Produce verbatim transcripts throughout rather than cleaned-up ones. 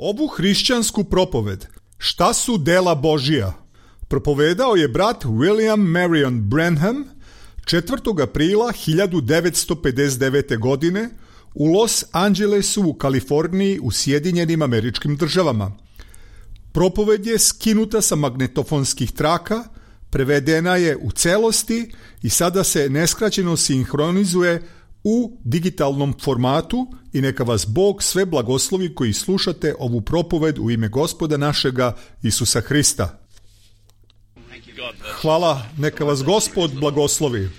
Ovu hrišćansku propoved Šta su dela Božija propovedao je brat William Marion Branham četvrtog aprila hiljadu devetsto pedeset devete. godine u Los Angelesu u Kaliforniji u Sjedinjenim Američkim Državama. Propoved je skinuta sa magnetofonskih traka, prevedena je u celosti i sada se neskraćeno sinhronizuje u digitalnom formatu i neka vas Bog sve blagoslovi koji slušate ovu propoved u ime Gospoda našega Isusa Hrista. Hvala, neka vas Gospod blagoslovi.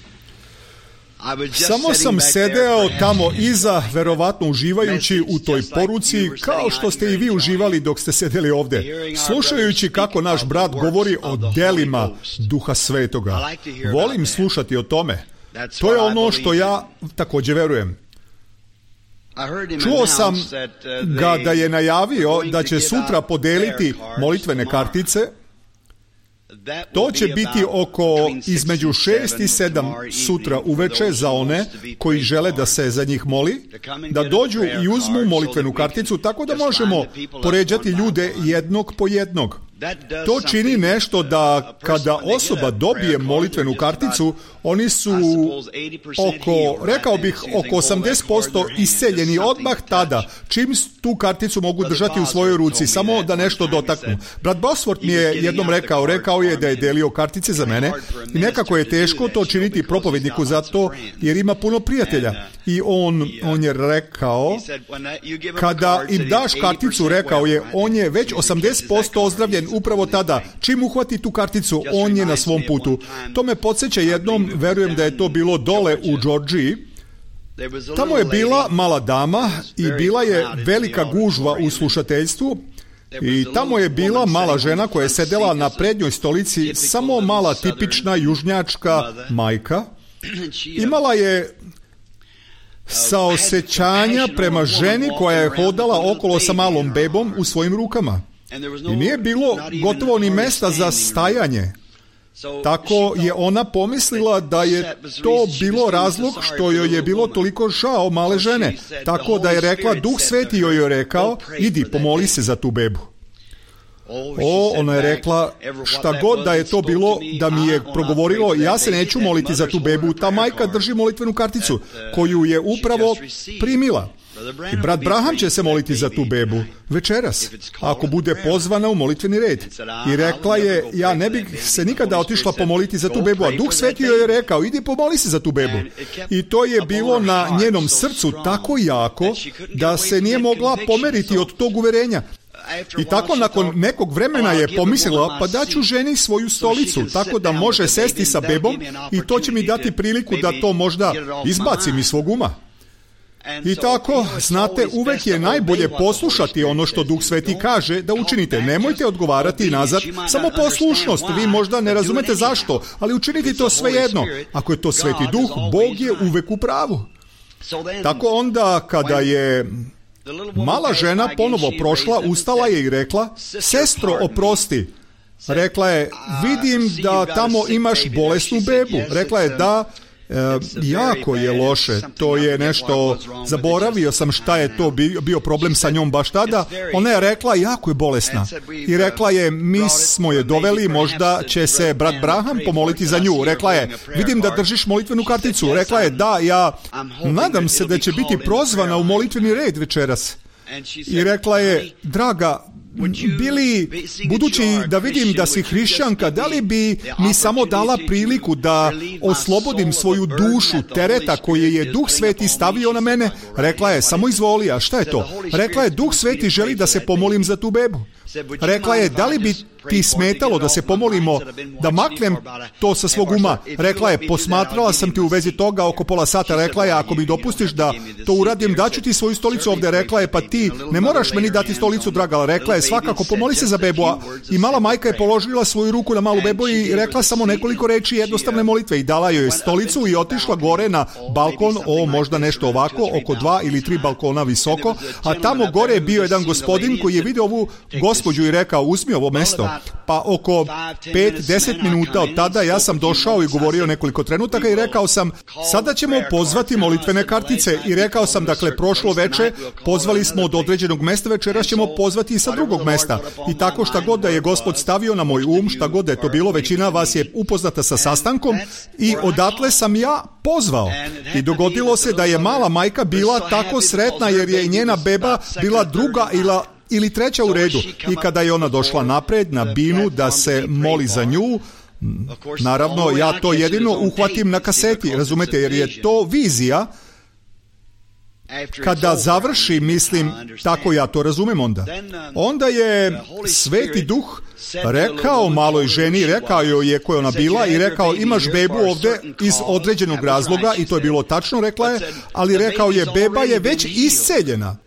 Samo sam sedeo tamo iza, verovatno uživajući u toj poruci, kao što ste i vi uživali dok ste sedeli ovde, slušajući kako naš brat govori o delima Duha Svetoga. Volim slušati o tome. To je ono što ja također verujem. Čuo sam ga da je najavio da će sutra podeliti molitvene kartice. To će biti oko između šest i sedam sutra uveče za one koji žele da se za njih moli, da dođu i uzmu molitvenu karticu, tako da možemo poređati ljude jednog po jednog. To čini nešto da kada osoba dobije molitvenu karticu, oni su oko, rekao bih, oko osamdeset posto isceljeni odmah tada, čim tu karticu mogu držati u svojoj ruci, samo da nešto dotaknu. Brat Bosworth mi je jednom rekao, rekao je da je delio kartice za mene i nekako je teško to činiti propovedniku zato jer ima puno prijatelja. I on, on je rekao, kada im daš karticu, rekao je, on je već osamdeset posto ozdravljen upravo tada. Čim uhvati tu karticu, on je na svom putu. To me podsjeća jednom, verujem da je to bilo dole u Georgiji. Tamo je bila mala dama i bila je velika gužva u slušateljstvu. I tamo je bila mala žena koja je sedela na prednjoj stolici, samo mala tipična južnjačka majka. Imala je saosećanja prema ženi koja je hodala okolo sa malom bebom u svojim rukama. I nije bilo gotovo ni mesta za stajanje. Tako je ona pomislila da je to bilo razlog što joj je bilo toliko žao male žene. Tako da je rekla, Duh Sveti joj je rekao, idi pomoli se za tu bebu. O, ona je rekla, šta god da je to bilo da mi je progovorilo, ja se neću moliti za tu bebu. Ta majka drži molitvenu karticu koju je upravo primila. I brat Branham će se moliti za tu bebu večeras, ako bude pozvana u molitveni red. I rekla je, ja ne bih se nikada otišla pomoliti za tu bebu, a Duh Sveti joj je rekao, idi pomoli se za tu bebu. I to je bilo na njenom srcu tako jako da se nije mogla pomeriti od tog uverenja. I tako nakon nekog vremena je pomislila, pa daću ženi svoju stolicu, tako da može sesti sa bebom i to će mi dati priliku da to možda izbacim iz svog uma. I tako, znate, uvek je najbolje poslušati ono što Duh Sveti kaže da učinite. Nemojte odgovarati nazad, samo poslušnost. Vi možda ne razumete zašto, ali učinite to svejedno. Ako je to Sveti Duh, Bog je uvek u pravu. Tako onda, kada je mala žena ponovo prošla, ustala je i rekla, sestro, oprosti. Rekla je, vidim da tamo imaš bolesnu bebu. Rekla je, da, e, jako je loše. To je nešto, zaboravio sam šta je to bio, bio problem sa njom baš tada. Ona je rekla, jako je bolesna. I rekla je, mi smo je doveli, možda će se brat Branham pomoliti za nju. Rekla je, vidim da držiš molitvenu karticu. Rekla je, da, ja nadam se da će biti prozvana u molitveni red večeras. I rekla je, draga, bili, budući da vidim da si hrišćanka, da li bi mi samo dala priliku da oslobodim svoju dušu tereta koje je Duh Sveti stavio na mene? Rekla je, samo izvoli, a šta je to? Rekla je, Duh Sveti želi da se pomolim za tu bebu. Rekla je, da li bi ti smetalo da se pomolimo, da maknem to sa svog uma? Rekla je, posmatrala sam ti u vezi toga oko pola sata. Rekla je, ako mi dopustiš da to uradim, daću ti svoju stolicu ovde. Rekla je, pa ti ne moraš meni dati stolicu, draga. Rekla je, svakako pomoli se za bebu. I mala majka je položila svoju ruku na malu bebu i rekla samo nekoliko reči jednostavne molitve i dala joj stolicu i otišla gore na balkon, o možda nešto ovako, oko dva ili tri balkona visoko, a tamo gore je bio jedan gospodin koji je vidio ovu gospođu i rekao, uzmi ovo mesto. Pa oko pet do deset minuta od tada ja sam došao i govorio nekoliko trenutaka i rekao sam, sada ćemo pozvati molitvene kartice. I rekao sam, dakle, prošlo veče pozvali smo od određenog mesta, večeras ćemo pozvati i sa drugog mesta. I tako šta god da je Gospod stavio na moj um, šta god da je to bilo, većina vas je upoznata sa sastankom i odatle sam ja pozvao. I dogodilo se da je mala majka bila tako sretna jer je i njena beba bila druga ili ili treća u redu. I kada je ona došla napred na binu da se moli za nju, naravno ja to jedino uhvatim na kaseti, razumete, jer je to vizija. Kada završi, mislim, tako ja to razumem onda. Onda je Sveti Duh rekao maloj ženi, rekao joj je koja ona bila i rekao, imaš bebu ovde iz određenog razloga, i to je bilo tačno, rekla je, ali rekao je, beba je već isceljena.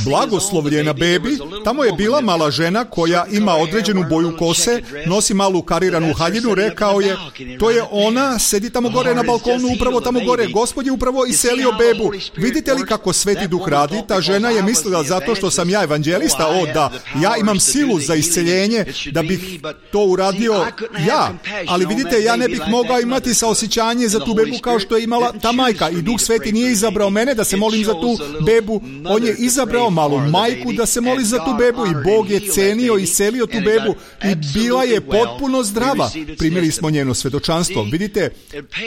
Blagoslovljena bebi, tamo je bila mala žena koja ima određenu boju kose, nosi malu kariranu haljinu, rekao je, to je ona, sedi tamo gore na balkonu, upravo tamo gore, Gospod je upravo iselio bebu. Vidite li kako Sveti Duh radi? Ta žena je mislila zato što sam ja evanđelista, o da, ja imam silu za isceljenje, da bih to uradio ja, ali vidite, ja ne bih mogao imati saosjećanje za tu bebu kao što je imala ta majka, i Duh Sveti nije izabrao mene da se molim za tu bebu, on je izabrao malu majku da se moli za tu bebu i Bog je cenio i iselio tu bebu i bila je potpuno zdrava. Primili smo njeno svedočanstvo. Vidite,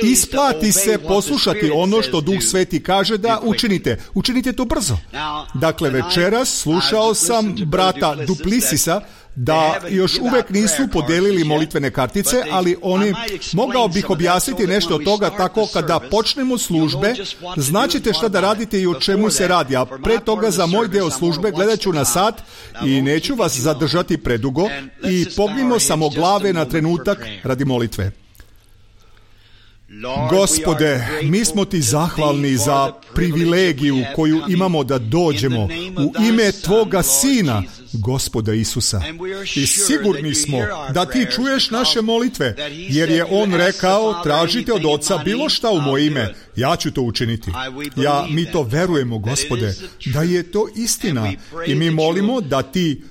isplati se poslušati ono što Duh Sveti kaže da učinite. Učinite to brzo. Dakle, večeras slušao sam brata Duplisisa da još uvek nisu podelili molitvene kartice, ali oni, mogao bih objasniti nešto od toga tako kada počnemo službe, znaćete šta da radite i o čemu se radi, a pre toga za moj deo službe gledat ću na sat i neću vas zadržati predugo i pognimo samo glave na trenutak radi molitve. Gospode, mi smo ti zahvalni za privilegiju koju imamo da dođemo u ime Tvoga Sina, Gospoda Isusa. I sigurni smo da ti čuješ naše molitve, jer je on rekao, tražite od Oca bilo šta u moje ime, ja ću to učiniti. Ja, mi to verujemo, Gospode, da je to istina i mi molimo da ti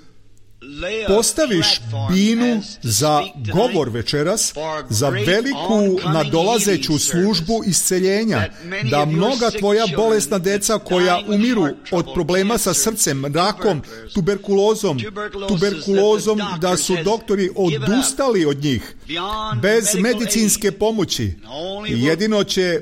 postaviš binu za govor večeras, za veliku nadolazeću službu isceljenja, da mnoga tvoja bolesna deca koja umiru od problema sa srcem, rakom, tuberkulozom, tuberkulozom, da su doktori odustali od njih, bez medicinske pomoći. Jedino će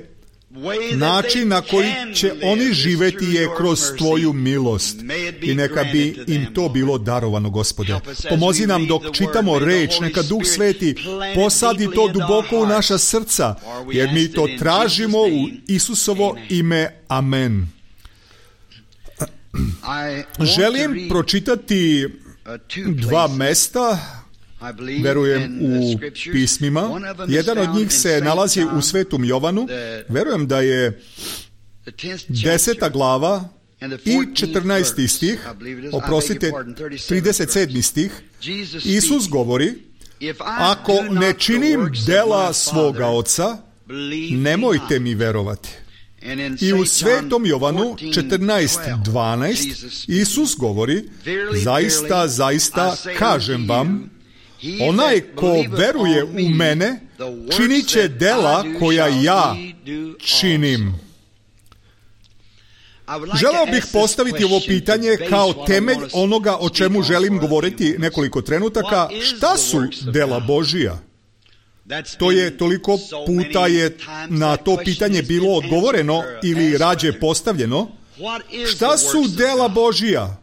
način na koji će oni živeti je kroz tvoju milost i neka bi im to bilo darovano, Gospode. Pomozi nam dok čitamo reč, neka Duh Sveti posadi to duboko u naša srca, jer mi to tražimo u Isusovo ime. Amen. Želim pročitati dva mesta, verujem, u pismima. Jedan od njih se nalazi u Svetom Jovanu. Verujem da je deseta glava i četrnaesti stih, oprostite, trideset sedmi stih. Isus govori, ako ne činim dela svoga Oca, nemojte mi verovati. I u Svetom Jovanu četrnaest dvanaest Isus govori, zaista, zaista, kažem vam, onaj ko veruje u mene, činit će dela koja ja činim. Želeo bih postaviti ovo pitanje kao temelj onoga o čemu želim govoriti nekoliko trenutaka. Šta su dela Božija? To je toliko puta je na to pitanje bilo odgovoreno ili rađe postavljeno. Šta su dela Božija?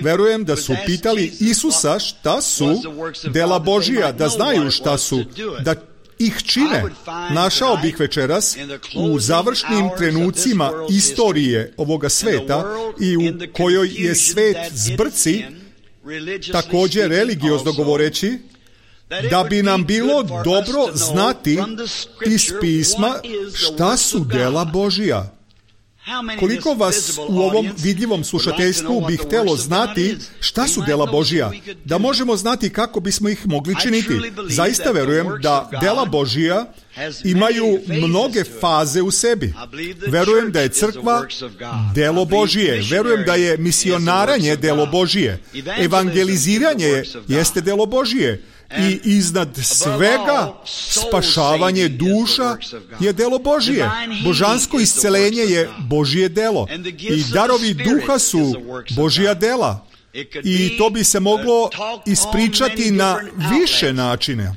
Verujem da su pitali Isusa šta su dela Božija, da znaju šta su, da ih čine. Našao bih večeras u završnim trenucima istorije ovoga sveta i u kojoj je svet zbrci, također religiozno govoreći, da bi nam bilo dobro znati iz pisma šta su dela Božija. Koliko vas u ovom vidljivom slušateljstvu bi htjelo znati šta su dela Božija, da možemo znati kako bismo ih mogli činiti. Zaista verujem da dela Božija imaju mnoge faze u sebi. Verujem da je crkva delo Božije. Verujem da je misionaranje delo Božije. Evangeliziranje jeste delo Božije. I iznad svega spašavanje duša je delo Božije. Božansko iscelenje je Božije delo. I darovi duha su Božija dela. I to bi se moglo ispričati na više načine.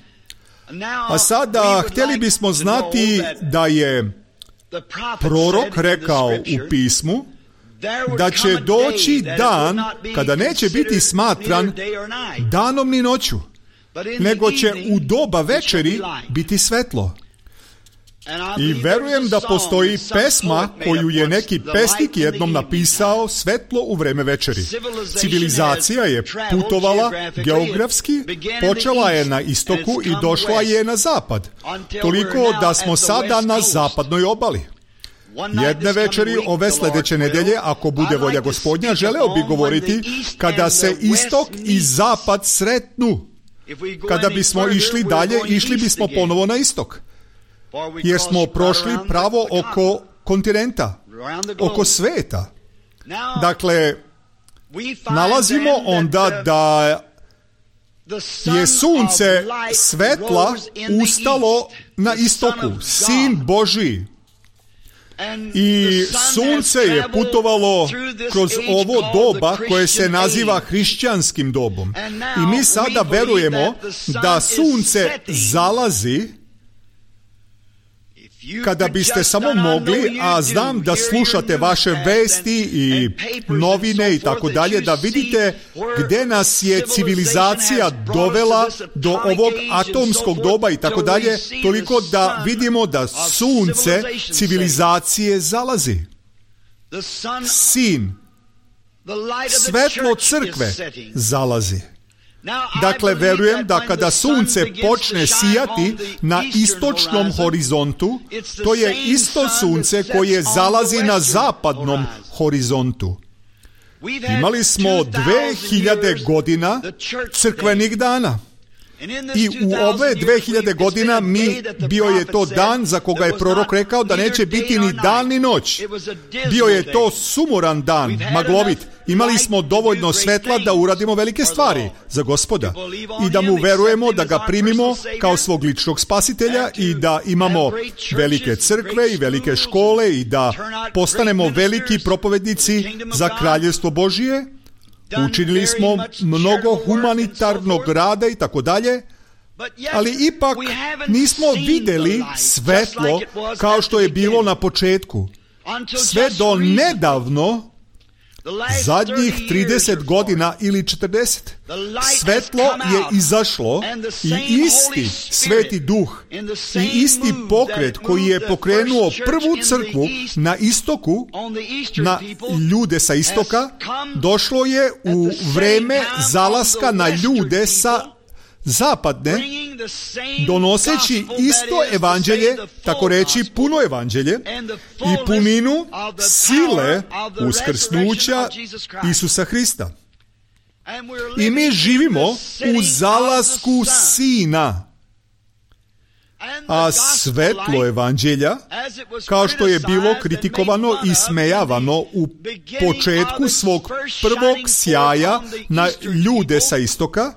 A sada htjeli bismo znati da je prorok rekao u pismu da će doći dan kada neće biti smatran danom ni noću, nego će u doba večeri biti svetlo. I verujem da postoji pesma koju je neki pesnik jednom napisao, Svetlo u vreme večeri. Civilizacija je putovala geografski, počela je na istoku i došla je na zapad. Toliko da smo sada na zapadnoj obali. Jedne večeri ove sljedeće nedelje, ako bude volja Gospodnja, želeo bi govoriti kada se istok i zapad sretnu. Kada bismo išli dalje, išli bismo ponovo na istok. Jer smo prošli pravo oko kontinenta, oko sveta. Dakle, nalazimo onda da je sunce svetla ustalo na istoku, Sin Božji. I sunce je putovalo kroz ovo doba koje se naziva hrišćanskim dobom. I mi sada verujemo da sunce zalazi. Kada biste samo mogli, a znam da slušate vaše vesti i novine i tako dalje, da vidite gdje nas je civilizacija dovela do ovog atomskog doba i tako dalje, toliko da vidimo da sunce civilizacije zalazi. Sin, svetlo crkve zalazi. Dakle, verujem da kada sunce počne sijati na istočnom horizontu, to je isto sunce koje zalazi na zapadnom horizontu. Imali smo dve hiljade godina crkvenih dana. I u ove dve hiljade godina mi, bio je to dan za koga je prorok rekao da neće biti ni dan ni noć. Bio je to sumoran dan, maglovit. Imali smo dovoljno svetla da uradimo velike stvari za Gospoda i da mu verujemo, da ga primimo kao svog ličnog spasitelja i da imamo velike crkve i velike škole i da postanemo veliki propovednici za kraljevstvo Božije. Učinili smo mnogo humanitarnog rada i tako dalje, ali ipak nismo vidjeli svetlo kao što je bilo na početku. Sve do nedavno, zadnjih trideset godina ili četrdeset, svetlo je izašlo i isti Sveti Duh i isti pokret koji je pokrenuo prvu crkvu na istoku, na ljude sa istoka, došlo je u vreme zalaska na ljude sa zapadne, donoseći isto evanđelje, tako reći puno evanđelje i puninu sile uskrsnuća Isusa Hrista. I mi živimo u zalasku Sina. A svetlo evanđelja, kao što je bilo kritikovano i smejavano u početku svog prvog sjaja na ljude sa istoka,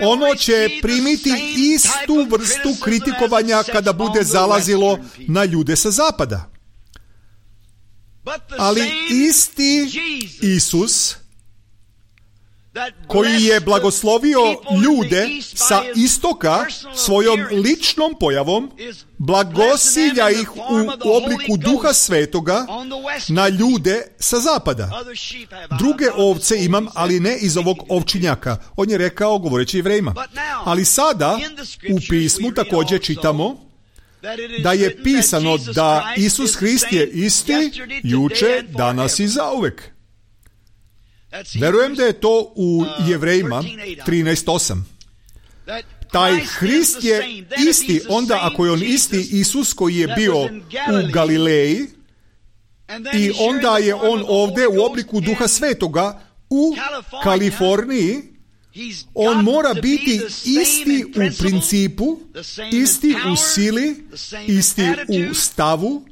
ono će primiti istu vrstu kritikovanja kada bude zalazilo na ljude sa zapada. Ali isti Isus, koji je blagoslovio ljude sa istoka svojom ličnom pojavom, blagosilja ih u obliku Duha Svetoga na ljude sa zapada. Druge ovce imam, ali ne iz ovog ovčinjaka. On je rekao govoreći Jevrejima. Ali sada u pismu također čitamo da je pisano da Isus Hrist je isti juče, danas i zauvek. Verujem da je to u Jevrejima trinaest osam. Taj Hrist je isti, onda ako je on isti Isus koji je bio u Galileji, I onda je on ovdje u obliku Duha Svetoga u Kaliforniji. On mora biti isti u principu, isti u sili, isti u stavu,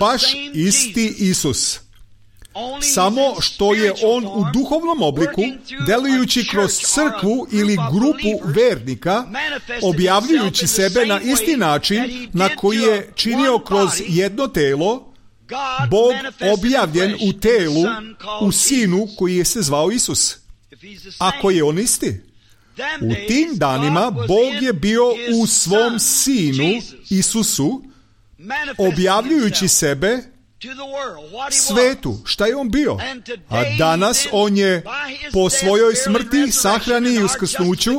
baš isti Isus. Samo što je on u duhovnom obliku, delujući kroz crkvu ili grupu vernika, objavljujući sebe na isti način na koji je činio kroz jedno telo, Bog objavljen u telu, u Sinu koji je se zvao Isus. Ako je on isti, u tim danima Bog je bio u svom Sinu, Isusu, objavljujući sebe svetu. Šta je on bio? A danas on je po svojoj smrti, sahrani i uskrsnuću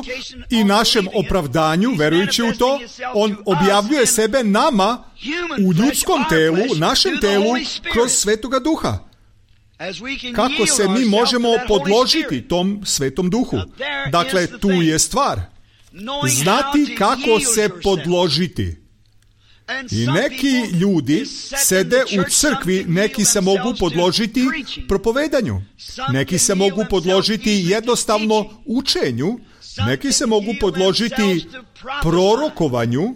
i našem opravdanju, verujući u to, on objavljuje sebe nama u ljudskom telu, našem telu, kroz Svetoga Duha. Kako se mi možemo podložiti tom Svetom Duhu? Dakle, tu je stvar. Znati kako se podložiti. I neki ljudi sede u crkvi, neki se mogu podložiti propovedanju, neki se mogu podložiti jednostavno učenju, neki se mogu podložiti prorokovanju,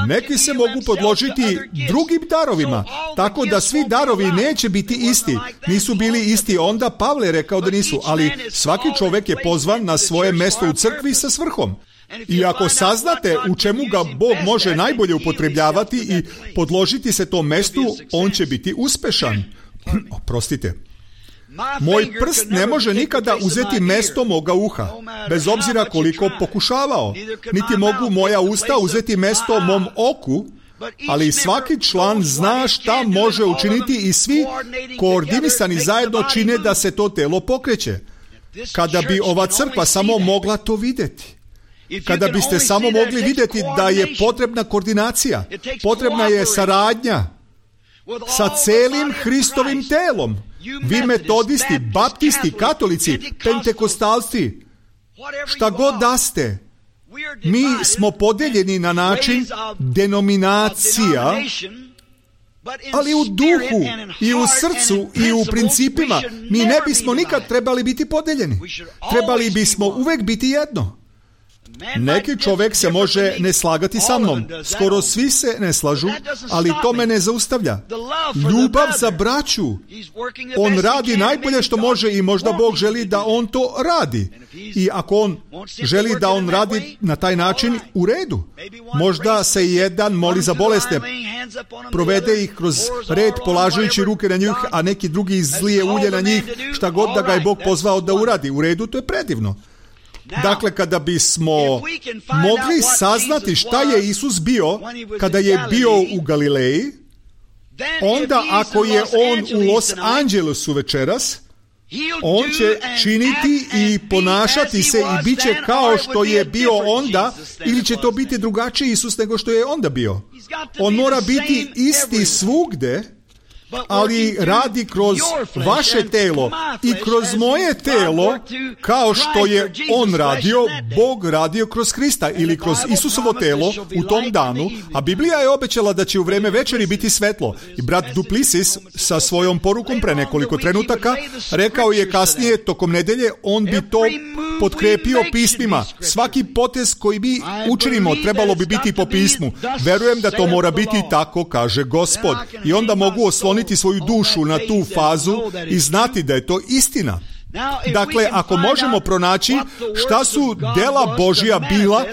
neki se mogu podložiti drugim darovima, tako da svi darovi neće biti isti. Nisu bili isti, onda Pavle rekao da nisu, ali svaki čovjek je pozvan na svoje mjesto u crkvi sa svrhom. I ako saznate u čemu ga Bog može najbolje upotrebljavati i podložiti se tom mjestu, on će biti uspešan. Oprostite. Moj prst ne može nikada uzeti mjesto moga uha, bez obzira koliko pokušavao. Niti mogu moja usta uzeti mjesto mom oku, ali svaki član zna šta može učiniti i svi koordinisani zajedno čine da se to telo pokreće. Kada bi ova crkva samo mogla to vidjeti. Kada biste samo mogli vidjeti da je potrebna koordinacija, potrebna je saradnja sa celim Hristovim telom. Vi metodisti, baptisti, katolici, pentekostalci, šta god da ste, mi smo podeljeni na način denominacija, ali u duhu i u srcu i u principima mi ne bismo nikad trebali biti podeljeni. Trebali bismo uvek biti jedno. Neki čovjek se može ne slagati sa mnom, skoro svi se ne slažu, ali to me ne zaustavlja. Ljubav za braću, on radi najbolje što može i možda Bog želi da on to radi. I ako on želi da on radi na taj način, u redu. Možda se jedan moli za bolesne, provede ih kroz red polažujući ruke na njih, a neki drugi izlije ulje na njih, šta god da ga je Bog pozvao da uradi. U redu, to je predivno. Dakle, kada bismo mogli saznati šta je Isus bio kada je bio u Galileji, onda ako je on u Los Angelesu večeras, on će činiti i ponašati se i bit će kao što je bio onda, ili će to biti drugačiji Isus nego što je onda bio. On mora biti isti svugde, ali radi kroz vaše telo i kroz moje telo, kao što je on radio, Bog radio kroz Hrista ili kroz Isusovo telo u tom danu, a Biblija je obećala da će u vreme večeri biti svetlo. I brat Duplessis sa svojom porukom pre nekoliko trenutaka rekao je kasnije tokom nedelje, on bi to potkrepio pismima. Svaki potez koji mi učinimo trebalo bi biti po pismu. Verujem da to mora biti tako, kaže Gospod. I onda mogu osloniti svoju dušu na tu fazu i znati da je to istina. Dakle, ako možemo pronaći šta su dela Božja bila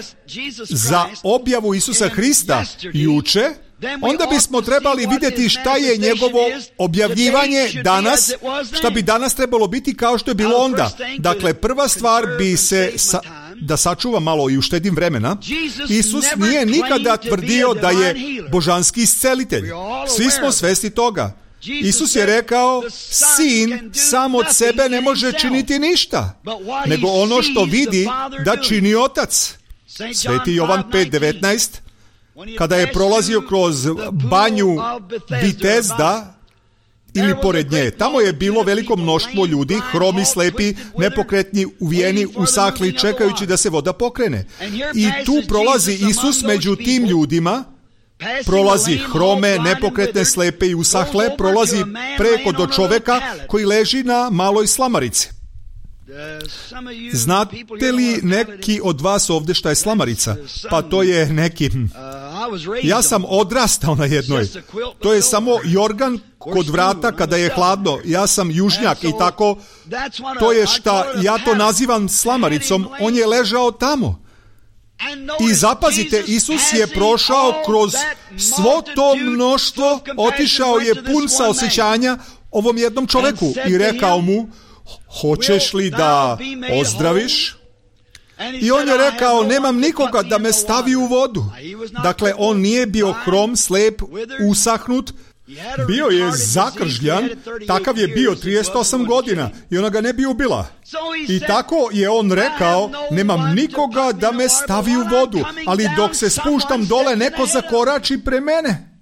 za objavu Isusa Hrista juče, onda bismo trebali vidjeti šta je njegovo objavljivanje danas, šta bi danas trebalo biti kao što je bilo onda. Dakle, prva stvar bi se, sa, da sačuva malo i uštedim vremena, Isus nije nikada tvrdio da je božanski iscelitelj. Svi smo svesni toga. Isus je rekao, sin sam od sebe ne može činiti ništa, nego ono što vidi da čini otac. Sveti Jovan pet devetnaest, kada je prolazio kroz banju Vitezda, ili pored nje, tamo je bilo veliko mnoštvo ljudi, hromi, slepi, nepokretni, uvijeni, usahli, čekajući da se voda pokrene. I tu prolazi Isus među tim ljudima prolazi hrome, nepokretne, slepe i usahle, prolazi preko do čoveka koji leži na maloj slamarici. Znate li neki od vas ovdje šta je slamarica? Pa to je neki... Ja sam odrastao na jednoj. To je samo jorgan kod vrata kada je hladno. Ja sam južnjak i tako. To je šta ja to nazivam slamaricom. On je ležao tamo. I zapazite, Isus je prošao kroz svo to mnoštvo, otišao je pun saosjećanja ovom jednom čoveku i rekao mu: hoćeš li da ozdraviš? I on je rekao: nemam nikoga da me stavi u vodu. Dakle, on nije bio hrom, slep, usahnut, bio je zakržljan, takav je bio trideset osam godina i ona ga ne bi ubila. I tako je on rekao: nemam nikoga da me stavi u vodu, ali dok se spuštam dole, neko zakorači pre mene.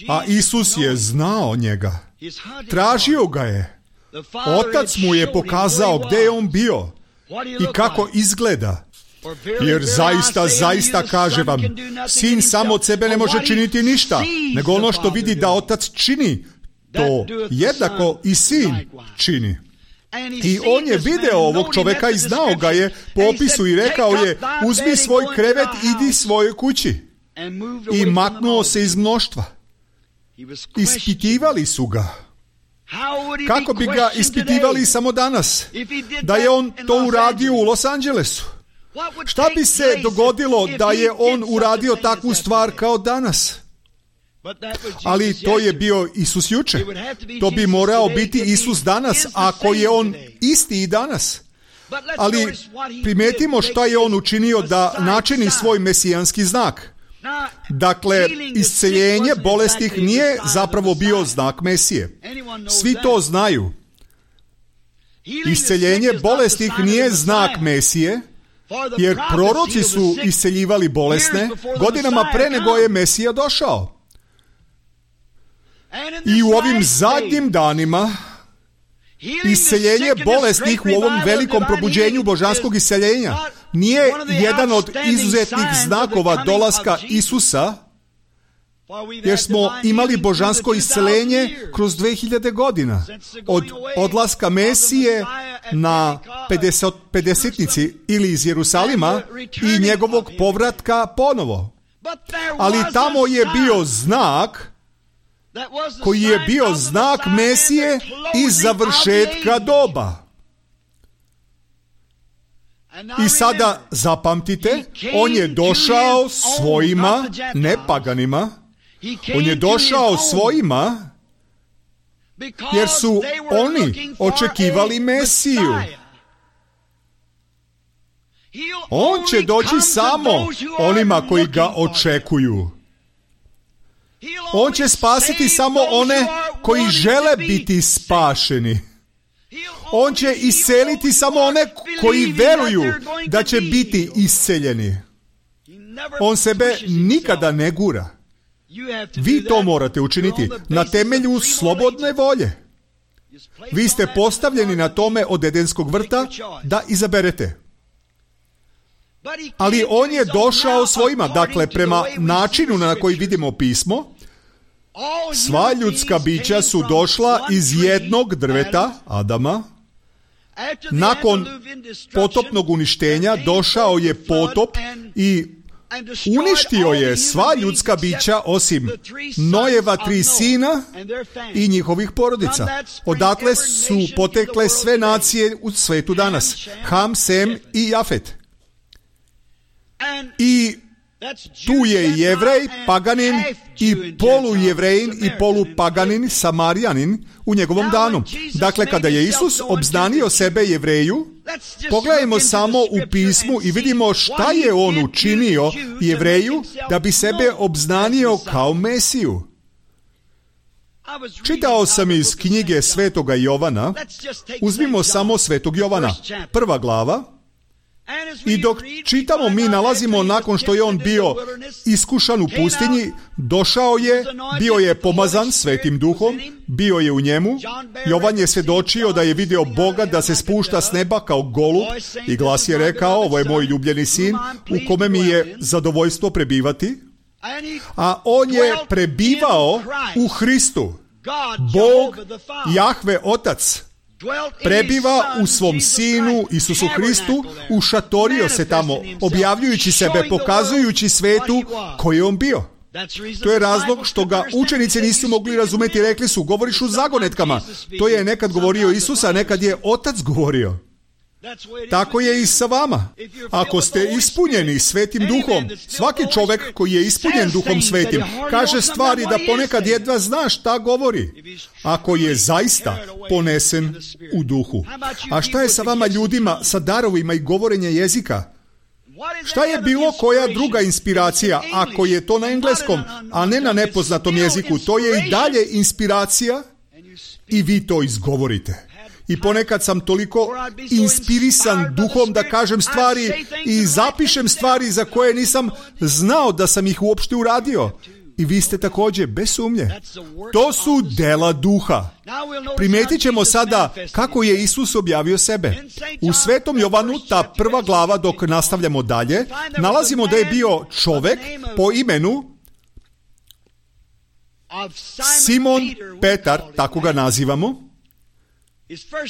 A Isus je znao njega. Tražio ga je. Otac mu je pokazao gdje je on bio i kako izgleda. Jer zaista, zaista kaže vam, sin sam od sebe ne može činiti ništa, nego ono što vidi da otac čini, to jednako i sin čini. I on je video ovog čoveka i znao ga je po opisu i rekao je: uzmi svoj krevet, idi svojoj kući. I maknuo se iz mnoštva. Ispitivali su ga. Kako bi ga ispitivali samo danas? Da je on to uradio u Los Angelesu. Šta bi se dogodilo da je on uradio takvu stvar kao danas? Ali to je bio Isus juče. To bi morao biti Isus danas, ako je on isti i danas. Ali primetimo šta je on učinio da načini svoj mesijanski znak. Dakle, isceljenje bolesnih nije zapravo bio znak Mesije. Svi to znaju. Isceljenje bolesnih nije znak Mesije, jer proroci su isceljivali bolesne godinama pre nego je Mesija došao. I u ovim zadnjim danima isceljenje bolesnih u ovom velikom probuđenju božanskog isceljenja nije jedan od izuzetnih znakova dolaska Isusa, jer smo imali božansko isceljenje kroz dve hiljade godina. Od odlaska Mesije na pedesetnici ili iz Jerusalima i njegovog povratka ponovo. Ali tamo je bio znak koji je bio znak Mesije i završetka doba. I sada zapamtite, on je došao svojima, ne paganima, on je došao svojima jer su oni očekivali Mesiju. On će doći samo onima koji ga očekuju. On će spasiti samo one koji žele biti spašeni. On će isceliti samo one koji veruju da će biti isceljeni. On sebe nikada ne gura. Vi to morate učiniti na temelju slobodne volje. Vi ste postavljeni na tome od Edenskog vrta da izaberete. Ali on je došao svojima, dakle prema načinu na koji vidimo pismo, sva ljudska bića su došla iz jednog drveta, Adama. Nakon potopnog uništenja došao je potop i uništio je sva ljudska bića osim Nojeva tri sina i njihovih porodica. Odatle su potekle sve nacije u svetu danas. Ham, Sem i Jafet. I tu je Jevrej, paganin i polujevrejin i polupaganin, Samarijanin u njegovom danu. Dakle, kada je Isus obznanio sebe Jevreju, pogledajmo samo u pismu i vidimo šta je on učinio Jevreju da bi sebe obznanio kao Mesiju. Čitao sam iz knjige Svetoga Jovana, uzmimo samo Svetog Jovana, prva glava. I dok čitamo, mi nalazimo nakon što je on bio iskušan u pustinji, došao je, bio je pomazan Svetim Duhom, bio je u njemu. Jovan je svjedočio da je video Boga da se spušta s neba kao golub i glas je rekao: ovo je moj ljubljeni sin u kome mi je zadovoljstvo prebivati. a on je prebivao u Hristu. Bog, Jahve Otac, prebiva u svom Sinu Isusu Hristu, ušatorio se tamo, objavljujući sebe, pokazujući svetu koji je on bio. To je razlog što ga učenici nisu mogli razumjeti, rekli su, govoriš u zagonetkama. To je nekad govorio Isus, a nekad je Otac govorio. Tako je i sa vama. Ako ste ispunjeni Svetim Duhom, svaki čovjek koji je ispunjen Duhom Svetim kaže stvari da ponekad jedva zna šta govori, ako je zaista ponesen u Duhu. A šta je sa vama ljudima sa darovima i govorenja jezika? Šta je bilo koja druga inspiracija, ako je to na engleskom, a ne na nepoznatom jeziku? To je i dalje inspiracija i vi to izgovorite. I ponekad sam toliko inspirisan duhom da kažem stvari i zapišem stvari za koje nisam znao da sam ih uopšte uradio. I vi ste također, bez sumnje. To su dela duha. Primetit ćemo sada kako je Isus objavio sebe. U Svetom Jovanu, ta prva glava, dok nastavljamo dalje, nalazimo da je bio čovek po imenu Simon Petar, tako ga nazivamo.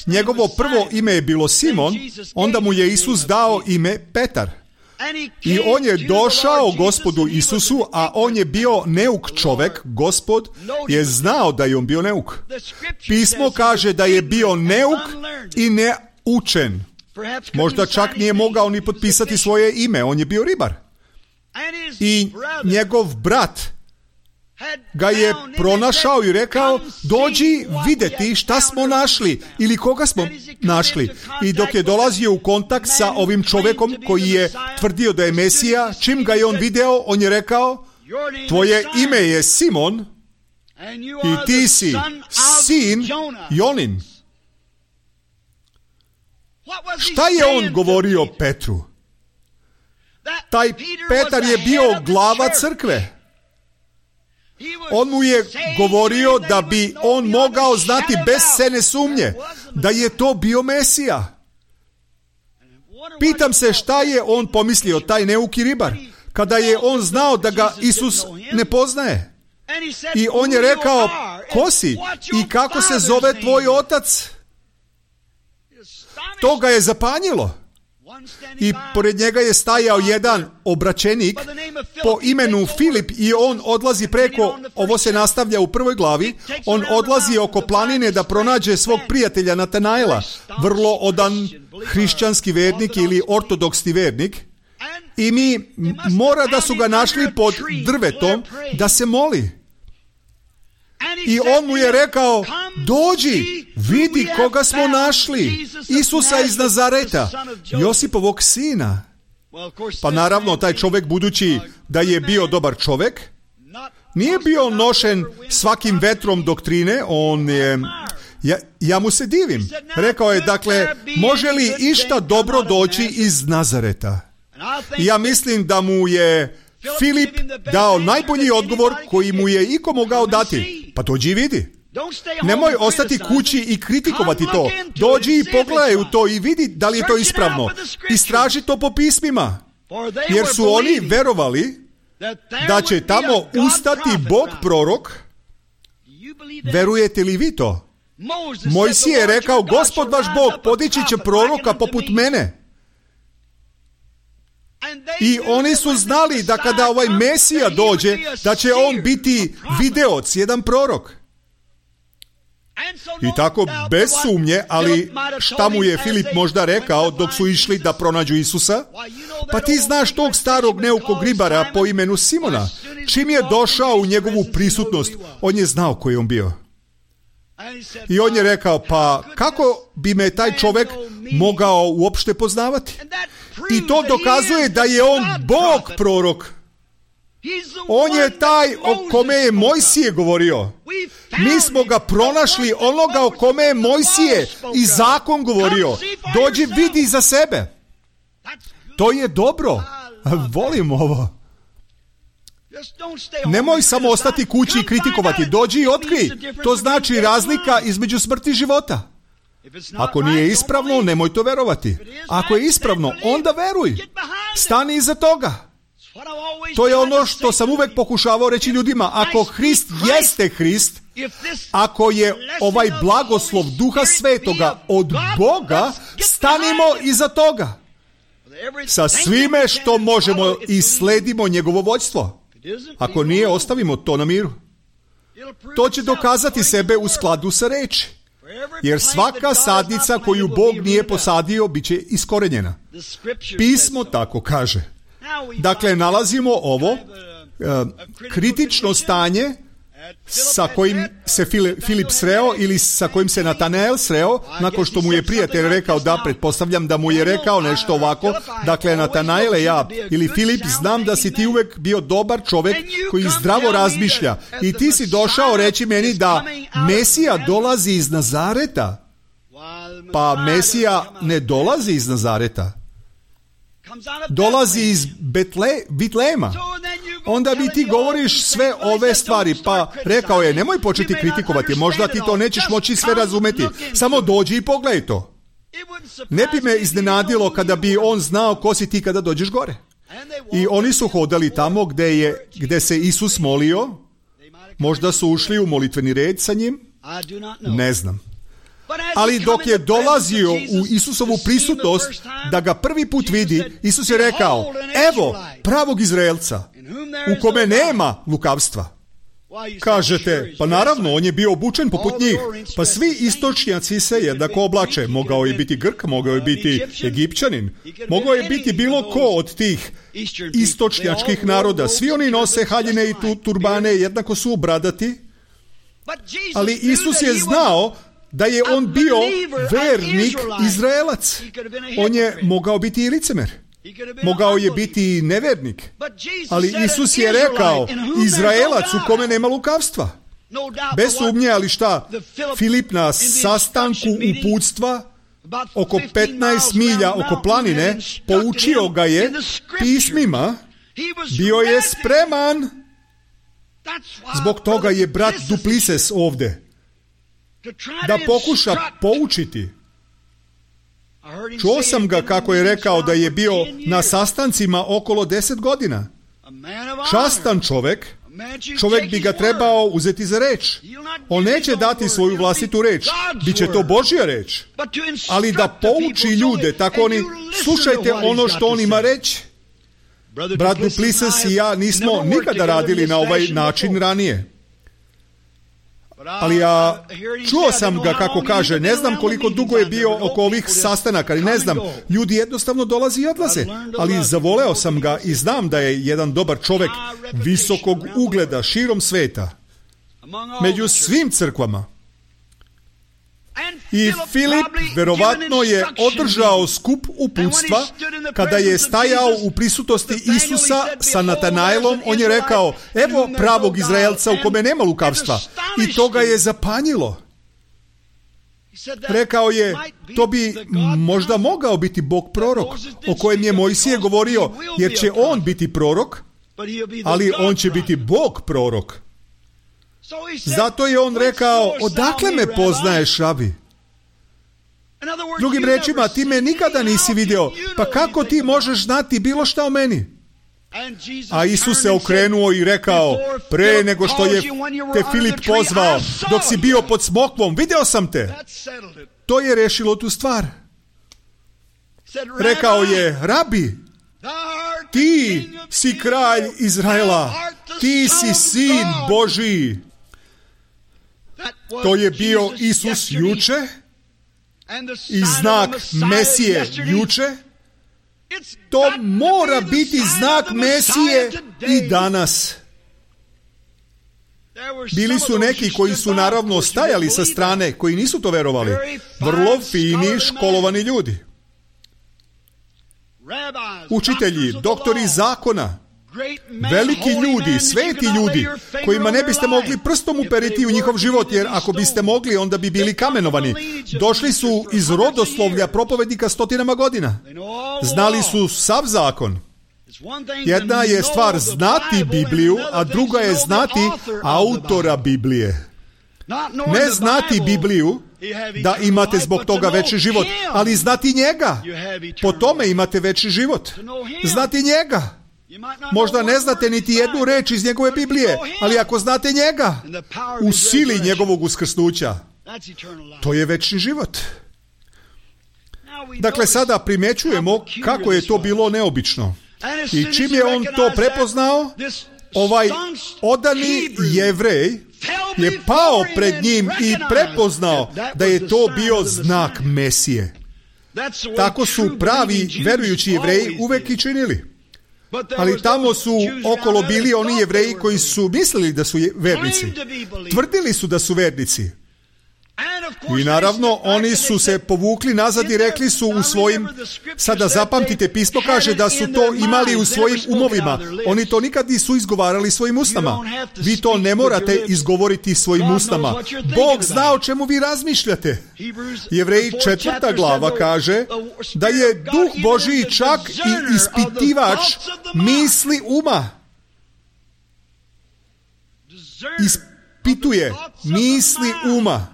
Njegovo prvo ime je bilo Simon, onda mu je Isus dao ime Petar. I on je došao Gospodu Isusu, a on je bio neuk čovek. Gospod je znao da je on bio neuk. Pismo kaže da je bio neuk i neučen. Možda čak nije mogao ni potpisati svoje ime, on je bio ribar. I njegov brat ga je pronašao i rekao, dođi vidjeti šta smo našli ili koga smo našli. I dok je dolazio u kontakt sa ovim čovjekom koji je tvrdio da je Mesija, čim ga je on video, on je rekao, tvoje ime je Simon i ti si sin Jonin. Šta je on govorio Petru? Taj Petar je bio glava crkve. On mu je govorio da bi on mogao znati bez sene sumnje da je to bio Mesija. Pitam se šta je on pomislio, taj neuki ribar, kada je on znao da ga Isus ne poznaje. I on je rekao, ko si i kako se zove tvoj otac? To ga je zapanjilo. I pored njega je stajao jedan obraćenik po imenu Filip i on odlazi preko, ovo se nastavlja u prvoj glavi, on odlazi oko planine da pronađe svog prijatelja Natanaela, vrlo odan hrišćanski vernik ili ortodoksni vernik, i mi mora da su ga našli pod drvetom da se moli. I on mu je rekao, dođi, vidi koga smo našli, Isusa iz Nazareta, Josipovog sina. Pa naravno, taj čovjek, budući da je bio dobar čovjek, nije bio nošen svakim vetrom doktrine, on je, ja, ja mu se divim. Rekao je, dakle, može li išta dobro doći iz Nazareta? I ja mislim da mu je Filip dao najbolji odgovor koji mu je iko mogao dati. Pa dođi i vidi. Nemoj ostati kući i kritikovati to. Dođi i pogledaj u to i vidi da li je to ispravno. Istraži to po pismima. Jer su oni verovali da će tamo ustati Bog prorok. Verujete li vi to? Mojsije je rekao, Gospod vaš Bog podići će proroka poput mene. I oni su znali da kada ovaj Mesija dođe, da će on biti videoc, jedan prorok. I tako, bez sumnje, ali šta mu je Filip možda rekao dok su išli da pronađu Isusa? Pa ti znaš tog starog neukog ribara po imenu Simona. Čim je došao u njegovu prisutnost, on je znao koji je on bio. I on je rekao, pa kako bi me taj čovjek mogao uopšte poznavati? I to dokazuje da je on Bog prorok. On je taj o kome je Mojsije govorio. Mi smo ga pronašli, onoga o kome je Mojsije i zakon govorio. Dođi, vidi za sebe. To je dobro. Volim ovo. Nemoj samo ostati kući i kritikovati. Dođi i otkrij. To znači razlika između smrti i života. Ako nije ispravno, nemoj to verovati. Ako je ispravno, onda veruj. Stani iza toga. To je ono što sam uvek pokušavao reći ljudima. Ako Hrist jeste Hrist, ako je ovaj blagoslov Duha Svetoga od Boga, stanimo iza toga. Sa svime što možemo i sledimo njegovo vođstvo. Ako nije, ostavimo to na miru. To će dokazati sebe u skladu sa reči. Jer svaka sadnica koju Bog nije posadio, bit će iskorenjena. Pismo tako kaže. Dakle, nalazimo ovo uh, kritično stanje sa kojim se Filip sreo ili sa kojim se Natanael sreo, nakon što mu je prijatelj rekao da, pretpostavljam da mu je rekao nešto ovako. Dakle, Natanaele, ja ili Filip, znam da si ti uvek bio dobar čovek koji zdravo razmišlja i ti si došao reći meni da Mesija dolazi iz Nazareta. Pa Mesija ne dolazi iz Nazareta. Dolazi iz Betle, Bitlema. Onda bi ti govoriš sve ove stvari. Pa rekao je, nemoj početi kritikovati, možda ti to nećeš moći sve razumeti. Samo dođi i pogledaj to. Ne bi me iznenadilo kada bi on znao ko si ti kada dođeš gore. I oni su hodali tamo gde, je, gde se Isus molio. Možda su ušli u molitveni red sa njim. Ne znam. Ali dok je dolazio u Isusovu prisutnost da ga prvi put vidi, Isus je rekao, evo pravog Izraelca u kome nema lukavstva. Kažete, pa naravno, on je bio obučen poput njih. Pa svi istočnjaci se jednako oblače. Mogao je biti Grk, mogao je biti Egipćanin, mogao je biti bilo ko od tih istočnjačkih naroda. Svi oni nose haljine i tu turbane, jednako su bradati. Ali Isus je znao da je on bio vernik Izraelac. On je mogao biti i licemer. Mogao je biti i nevernik. Ali Isus je rekao, Izraelac u kome nema lukavstva. Bez sumnje, ali šta? Filip na sastanku uputstva oko petnaest milja oko planine poučio ga je pismima. Bio je spreman. Zbog toga je brat Duplises ovde. Da pokuša poučiti. Čuo sam ga kako je rekao da je bio na sastancima okolo deset godina. Častan čovek, čovek bi ga trebao uzeti za reč. On neće dati svoju vlastitu reč, biće to Božja reč. Ali da pouči ljude, tako oni, slušajte ono što on ima reći. Brat Duplises i ja nismo nikada radili na ovaj način ranije. Ali ja čuo sam ga kako kaže, ne znam koliko dugo je bio oko ovih sastanaka, ali ne znam, ljudi jednostavno dolazi i odlaze, ali zavoleo sam ga i znam da je jedan dobar čovek visokog ugleda širom sveta, među svim crkvama. I Filip verovatno je održao skup uputstva kada je stajao u prisutnosti Isusa sa Natanaelom. On je rekao, evo pravog Izraelca u kome nema lukavstva. I to ga je zapanjilo. Rekao je, to bi možda mogao biti Bog prorok o kojem je Mojsije govorio, jer će on biti prorok, ali on će biti Bog prorok. Zato je on rekao, odakle me poznaješ, rabi? Drugim rečima, ti me nikada nisi video, pa kako ti možeš znati bilo šta o meni? A Isus se okrenuo i rekao, pre nego što je te Filip pozvao, dok si bio pod smokvom, video sam te. To je rešilo tu stvar. Rekao je, rabi, ti si kralj Izraela, ti si sin Božiji. To je bio Isus juče i znak Mesije juče. To mora biti znak Mesije i danas. Bili su neki koji su naravno stajali sa strane, koji nisu to verovali. Vrlo fini, školovani ljudi. Učitelji, doktori zakona, veliki ljudi, sveti ljudi, kojima ne biste mogli prstom uperiti u njihov život, jer ako biste mogli, onda bi bili kamenovani. Došli su iz rodoslovlja propovednika stotinama godina. Znali su sav zakon. Jedna je stvar znati Bibliju, a druga je znati autora Biblije. Ne znati Bibliju, da imate zbog toga veći život, ali znati njega, po tome imate veći život. Znati njega. Možda ne znate niti jednu reč iz njegove Biblije, ali ako znate njega, u sili njegovog uskrsnuća, to je večni život. Dakle, sada primjećujemo kako je to bilo neobično. I čim je on to prepoznao, ovaj odani Jevrej je pao pred njim i prepoznao da je to bio znak Mesije. Tako su pravi verujući Jevreji uvek i činili. Ali tamo su okolo bili oni Jevreji koji su mislili da su vernici. Tvrdili su da su vernici. I naravno, oni su se povukli nazad i rekli su u svojim, sada zapamtite, pismo kaže da su to imali u svojim umovima. Oni to nikad nisu izgovarali svojim usnama. Vi to ne morate izgovoriti svojim usnama. Bog zna o čemu vi razmišljate. Jevreji četvrta glava kaže da je Duh Božiji čak i ispitivač misli uma. Ispituje misli uma.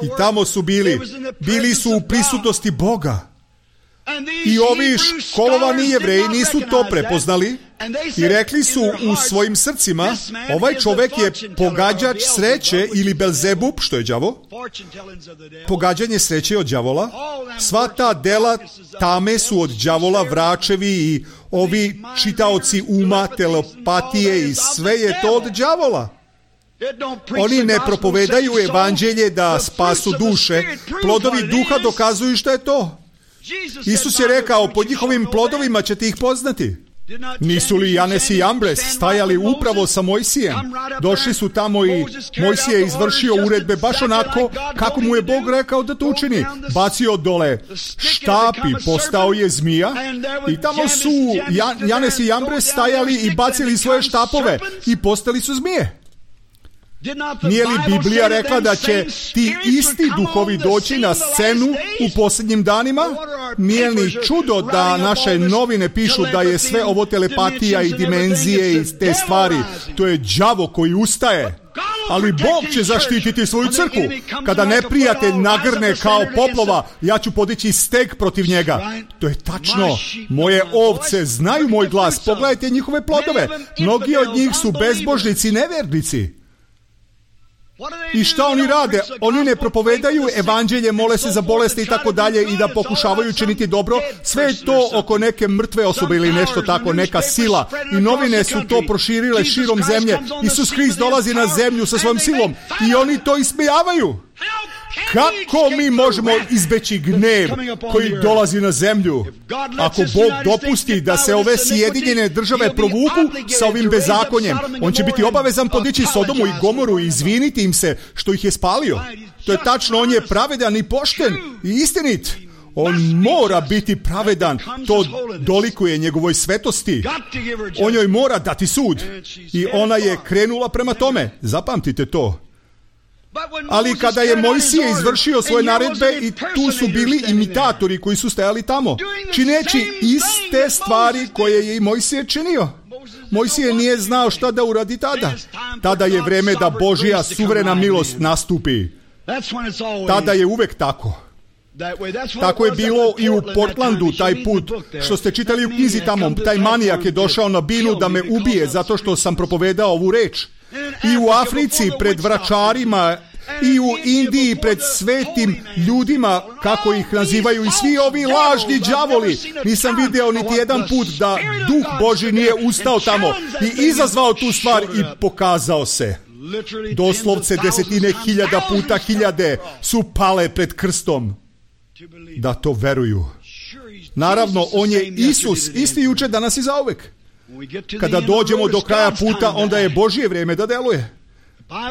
I tamo su bili, bili su u prisutnosti Boga. I ovi školovani Jevreji nisu to prepoznali i rekli su u svojim srcima, ovaj čovjek je pogađač sreće ili Belzebub, što je đavo, pogađanje sreće od đavola. Sva ta dela tame su od đavola, vračevi i ovi čitaoci uma, telepatije i sve je to od đavola. Oni ne propovedaju evanđelje da spasu duše. Plodovi duha dokazuju što je to. Isus je rekao, po njihovim plodovima ćete ih poznati. Nisu li Janes i Jambres stajali upravo sa Mojsijem? Došli su tamo i Mojsije je izvršio uredbe baš onako kako mu je Bog rekao da to učini. Bacio dole štap i postao je zmija. I tamo su Janes i Jambres stajali i bacili svoje štapove i postali su zmije. Nije li Biblija rekla da će ti isti duhovi doći na scenu u posljednjim danima? Nije li čudo da naše novine pišu da je sve ovo telepatija i dimenzije i te stvari? To je đavo koji ustaje. Ali Bog će zaštititi svoju crkvu. Kada neprijatelj nagrne kao poplova, ja ću podići steg protiv njega. To je tačno. Moje ovce znaju moj glas. Pogledajte njihove plodove. Mnogi od njih su bezbožnici i nevernici. I šta oni rade? Oni ne propovedaju evanđelje, mole se za bolesti i tako dalje i da pokušavaju činiti dobro. Sve je to oko neke mrtve osobe ili nešto tako, neka sila. I novine su to proširile širom zemlje. Isus Hrist dolazi na zemlju sa svojom silom i oni to ismijavaju. Kako mi možemo izbeći gnev koji dolazi na zemlju? Ako Bog dopusti da se ove Sjedinjene države provuku sa ovim bezakonjem, on će biti obavezan podići Sodomu i Gomoru i izviniti im se što ih je spalio. To je tačno, on je pravedan i pošten i istinit. On mora biti pravedan, to dolikuje njegovoj svetosti. On joj mora dati sud. I ona je krenula prema tome. Zapamtite to. Ali kada je Mojsije izvršio svoje naredbe i tu su bili imitatori koji su stajali tamo, čineći iste stvari koje je i Mojsije činio. Mojsije nije znao šta da uradi tada. Tada je vreme da Božja suverena milost nastupi. Tada je uvek tako. Tako je bilo i u Portlandu taj put, što ste čitali u knjizi tamo. Taj manijak je došao na binu da me ubije zato što sam propovedao ovu reč. I u Africi pred vračarima, i u Indiji pred svetim ljudima, kako ih nazivaju, i svi ovi lažni đavoli. Nisam video niti jedan put da Duh Božji nije ustao tamo i izazvao tu stvar i pokazao se. Doslovce desetine hiljada puta hiljade su pale pred krstom da to veruju. Naravno, on je Isus, isti juče, danas i zauvek. Kada dođemo do kraja puta, onda je Božje vrijeme da deluje.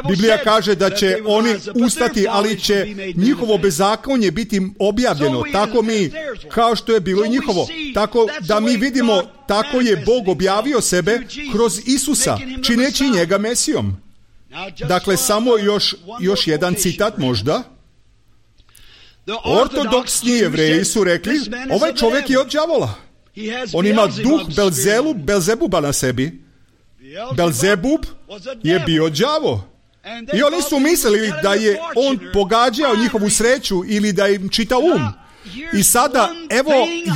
Biblija kaže da će oni ustati, ali će njihovo bezakonje biti objavljeno. Tako mi, kao što je bilo i njihovo. Tako da mi vidimo, tako je Bog objavio sebe kroz Isusa, čineći njega Mesijom. Dakle, samo još, još jedan citat možda. Ortodoksni Jevreji su rekli, ovaj čovjek je od đavola. On ima duh Belzelu, Belzebuba na sebi. Belzebub je bio đavo. I oni su mislili da je on pogađao njihovu sreću ili da im čita um. I sada, evo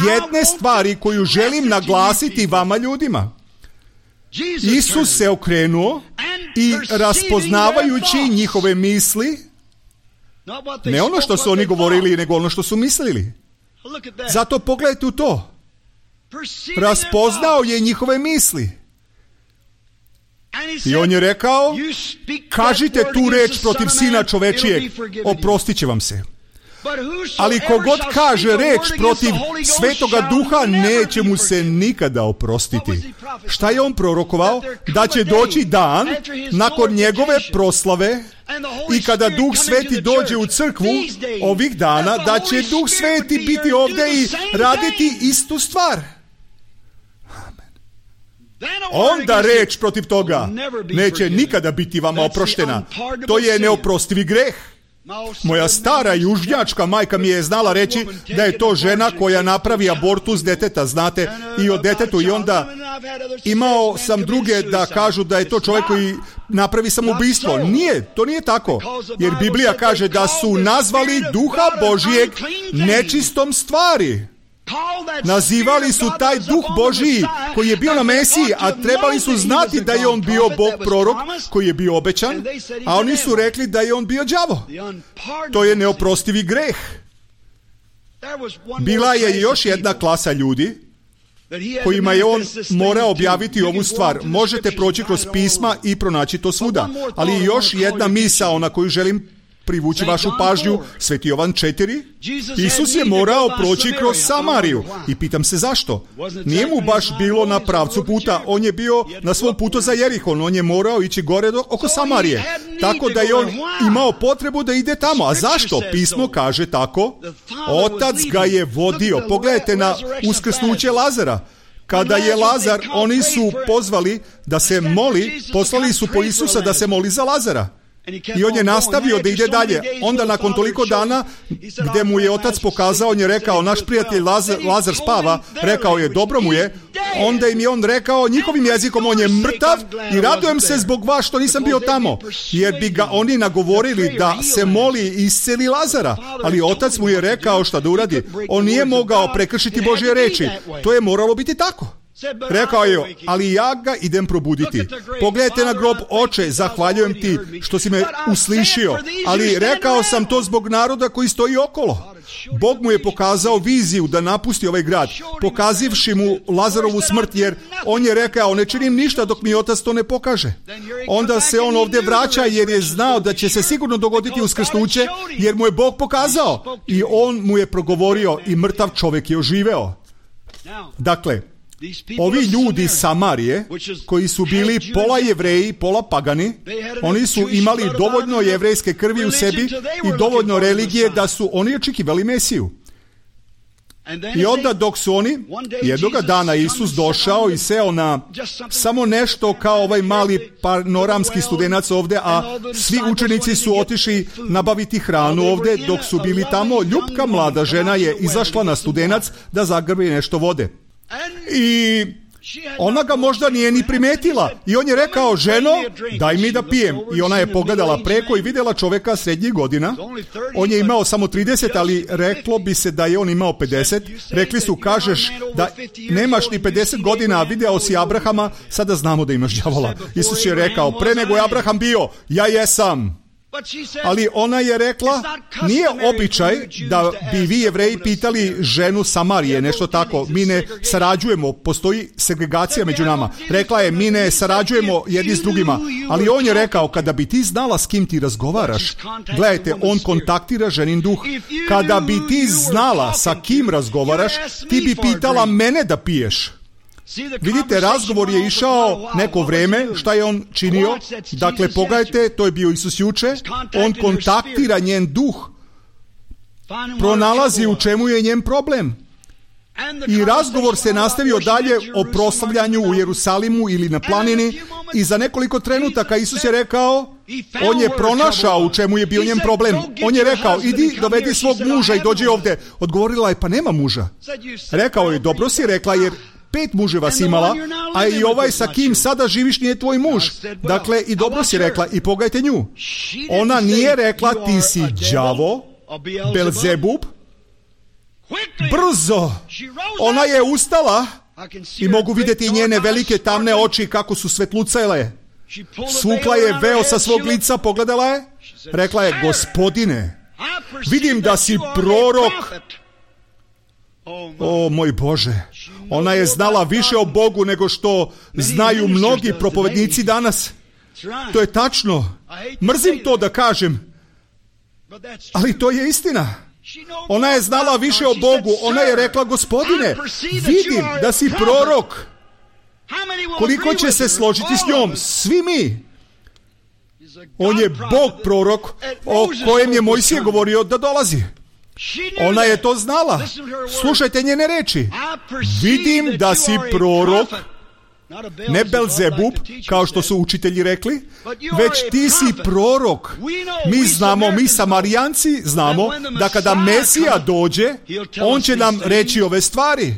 jedne stvari koju želim naglasiti vama ljudima. Isus se okrenuo i raspoznavajući njihove misli, ne ono što su oni govorili, nego ono što su mislili. Zato pogledajte u to. Raspoznao je njihove misli. I on je rekao, kažite tu reč protiv Sina čovečijeg, oprostit će vam se. Ali kogod kaže reč protiv Svetoga Duha, neće mu se nikada oprostiti. Šta je on prorokovao? Da će doći dan nakon njegove proslave i kada Duh Sveti dođe u crkvu ovih dana, da će Duh Sveti biti ovdje i raditi istu stvar. Onda reč protiv toga neće nikada biti vama oproštena. To je neoprostivi greh. Moja stara južnjačka majka mi je znala reći da je to žena koja napravi abortus deteta, znate, i o detetu, i onda imao sam druge da kažu da je to čovjek koji napravi samoubistvo. Nije, to nije tako, jer Biblija kaže da su nazvali Duha Božijeg nečistom stvari. Nazivali su taj Duh Božiji koji je bio na Mesiji, a trebali su znati da je on bio Bog prorok koji je bio obećan, a oni su rekli da je on bio đavo. To je neoprostivi greh. Bila je još jedna klasa ljudi kojima je on morao objaviti ovu stvar. Možete proći kroz pisma i pronaći to svuda. Ali još jedna misao na koju želim privući vašu pažnju, Sveti Jovan četiri. Isus je morao proći kroz Samariju. I pitam se zašto? Nije mu baš bilo na pravcu puta. On je bio na svom putu za Jerihon. On je morao ići gore do, oko Samarije. Tako da je on imao potrebu da ide tamo. A zašto? Pismo kaže tako. Otac ga je vodio. Pogledajte na uskrsnuće Lazara. Kada je Lazar, oni su pozvali da se moli, poslali su po Isusa da se moli za Lazara. I on je nastavio da ide dalje. Onda nakon toliko dana gdje mu je otac pokazao, on je rekao, naš prijatelj Lazar, Lazar spava, rekao je, dobro mu je. Onda im je on rekao njihovim jezikom, on je mrtav i radujem se zbog vas što nisam bio tamo. Jer bi ga oni nagovorili da se moli i isceli Lazara. Ali otac mu je rekao šta da uradi. On nije mogao prekršiti Božje reči. To je moralo biti tako. Rekao je, ali ja ga idem probuditi. Pogledajte na grob, oče, zahvaljujem ti što si me uslišio, ali rekao sam to zbog naroda koji stoji okolo. Bog mu je pokazao viziju da napusti ovaj grad, pokazivši mu Lazarovu smrt, jer on je rekao, ne činim ništa dok mi otac to ne pokaže. Onda se on ovdje vraća jer je znao da će se sigurno dogoditi uskrsnuće, jer mu je Bog pokazao i on mu je progovorio i mrtav čovjek je oživeo. Dakle, ovi ljudi iz Samarije, koji su bili pola Jevreji, pola pagani, oni su imali dovoljno jevrejske krvi u sebi i dovoljno religije da su oni očekivali Mesiju. I onda dok su oni, jednoga dana Isus došao i seo na samo nešto kao ovaj mali panoramski studenac ovdje, a svi učenici su otišli nabaviti hranu ovdje, dok su bili tamo, ljupka mlada žena je izašla na studenac da zagrbi nešto vode. I ona ga možda nije ni primetila. I on je rekao, ženo, daj mi da pijem. I ona je pogledala preko i vidjela čovjeka srednjih godina. On je imao samo trideset, ali reklo bi se da je on imao pedeset. Rekli su, kažeš da nemaš ni pedeset godina, a video si Abrahama, sada znamo da imaš đavola. Isus je rekao, pre nego je Abraham bio, ja jesam. Ali ona je rekla, nije običaj da bi vi Jevreji pitali ženu Samarije, nešto tako. Mi ne sarađujemo, postoji segregacija među nama. Rekla je, mi ne sarađujemo jedni s drugima. Ali on je rekao, kada bi ti znala s kim ti razgovaraš, gledajte, on kontaktira ženin duh. Kada bi ti znala sa kim razgovaraš, ti bi pitala mene da piješ. Vidite, razgovor je išao neko vrijeme, šta je on činio? Dakle, pogledajte, to je bio Isus juče, on kontaktira njen duh, pronalazi u čemu je njen problem. I razgovor se nastavio dalje o proslavljanju u Jerusalimu ili na planini i za nekoliko trenutaka Isus je rekao, on je pronašao u čemu je bio njen problem. On je rekao, idi dovedi svog muža i dođi ovdje. Odgovorila je, pa nema muža. Rekao je, dobro si rekla, jer pet muževa si imala, a i ovaj sa kim sada živiš nije tvoj muž. Dakle, i dobro si rekla, i pogledajte nju. Ona nije rekla, ti si đavo, Belzebub. brzo. Ona je ustala i mogu vidjeti njene velike tamne oči kako su svetlucale. Svukla je veo sa svog lica, pogledala je, rekla je: Gospodine, vidim da si prorok. O moj Bože, ona je znala više o Bogu nego što znaju mnogi propovednici danas. To je tačno. Mrzim to da kažem, ali to je istina. Ona je znala više o Bogu. Ona je rekla: Gospodine, vidim da si prorok. Koliko će se složiti s njom? Svi mi. On je Bog prorok o kojem je Mojsije govorio da dolazi. Ona je to znala. Slušajte njene reči. Vidim da si prorok, ne Belzebub, kao što su učitelji rekli, već ti si prorok. Mi znamo, mi Samarijanci znamo da kada Mesija dođe, on će nam reći ove stvari.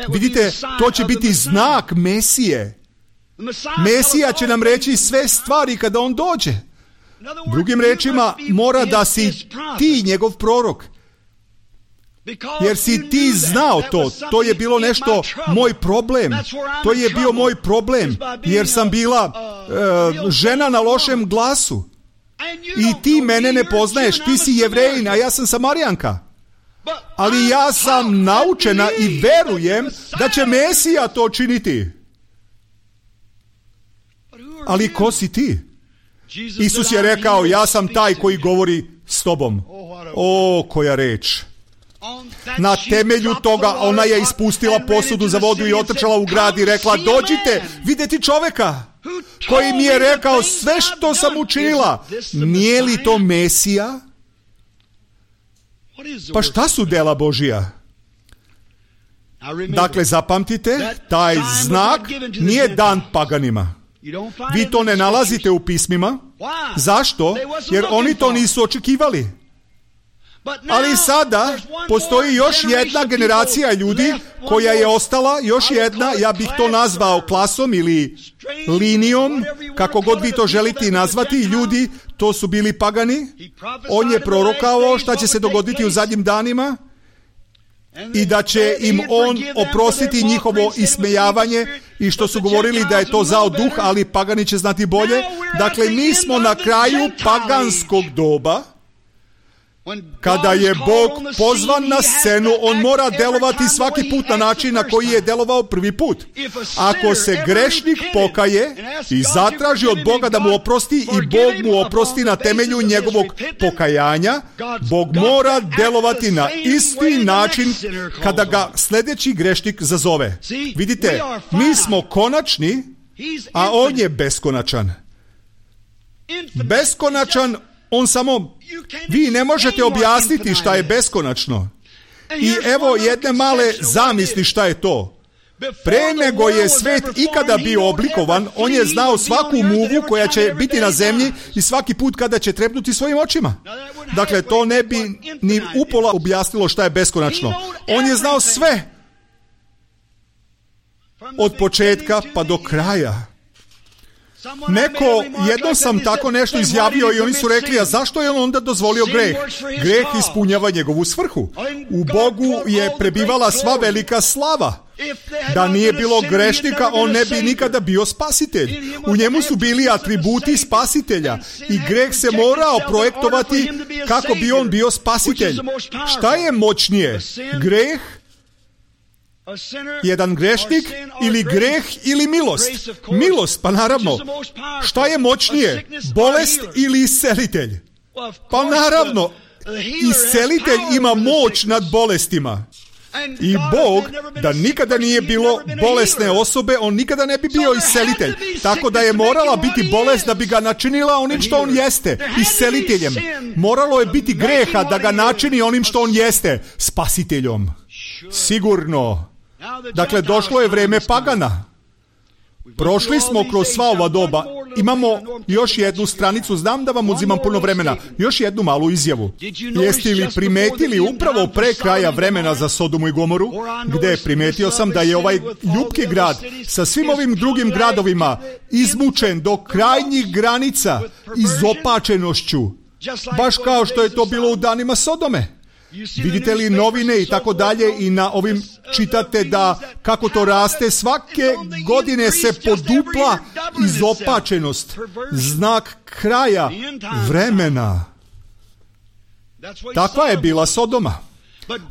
Vidite, to će biti znak Mesije. Mesija će nam reći sve stvari kada on dođe. Drugim rečima, mora da si ti njegov prorok. Jer si ti znao to. To je bilo nešto, moj problem. To je bio moj problem. Jer sam bila uh, žena na lošem glasu. I ti mene ne poznaješ. Ti si Jevrejin, a ja sam Samarijanka. Ali ja sam naučena i verujem da će Mesija to činiti. Ali ko si ti? Isus je rekao: ja sam taj koji govori s tobom. O, koja reč! Na temelju toga ona je ispustila posudu za vodu i otrčala u grad i rekla: dođite vidjeti čoveka koji mi je rekao sve što sam učinila. Nije li to Mesija? Pa šta su dela Božija? Dakle, zapamtite, taj znak nije dan paganima. Vi to ne nalazite u pismima. Zašto? Jer oni to nisu očekivali. Ali sada postoji još jedna generacija ljudi koja je ostala, još jedna, ja bih to nazvao klasom ili linijom, kako god vi to želite nazvati, ljudi, to su bili pagani. On je prorokao šta će se dogoditi u zadnjim danima i da će im on oprostiti njihovo ismejavanje i što su govorili da je to zao duh, ali pagani će znati bolje. Dakle, mi smo na kraju paganskog doba. Kada je Bog pozvan na scenu, on mora delovati svaki put na način na koji je delovao prvi put. Ako se grešnik pokaje i zatraži od Boga da mu oprosti i Bog mu oprosti na temelju njegovog pokajanja, Bog mora delovati na isti način kada ga sljedeći grešnik zazove. Vidite, mi smo konačni, a on je beskonačan. Beskonačan, on samo, vi ne možete objasniti šta je beskonačno. I evo jedne male zamisli šta je to. Pre nego je svet ikada bio oblikovan, on je znao svaku muvu koja će biti na zemlji i svaki put kada će trepnuti svojim očima. Dakle, to ne bi ni upola objasnilo šta je beskonačno. On je znao sve. Od početka pa do kraja. Neko, jednom sam tako nešto izjavio i oni su rekli: a zašto je on onda dozvolio greh? Greh ispunjava njegovu svrhu. U Bogu je prebivala sva velika slava. Da nije bilo grešnika, on ne bi nikada bio spasitelj. U njemu su bili atributi spasitelja i greh se morao projektovati kako bi on bio spasitelj. Šta je moćnije? Greh, jedan grešnik ili greh ili milost? Milost, pa naravno. Šta je moćnije? Bolest ili iscelitelj? Pa naravno, iscelitelj ima moć nad bolestima. I Bog, da nikada nije bilo bolesne osobe, on nikada ne bi bio iscelitelj. Tako da je morala biti bolest da bi ga načinila onim što on jeste, isceliteljem. Moralo je biti greha da ga načini onim što on jeste, spasiteljom. Sigurno. Dakle, došlo je vreme pagana. Prošli smo kroz sva ova doba. Imamo još jednu stranicu, znam da vam uzimam puno vremena, još jednu malu izjavu. Jeste li primetili upravo pre kraja vremena za Sodomu i Gomoru, gde primetio sam da je ovaj ljubki grad sa svim ovim drugim gradovima izmučen do krajnjih granica izopačenošću, baš kao što je to bilo u danima Sodome. Vidite li novine i tako dalje i na ovim čitate da kako to raste, svake godine se podupla izopačenost, znak kraja vremena. Takva je bila Sodoma.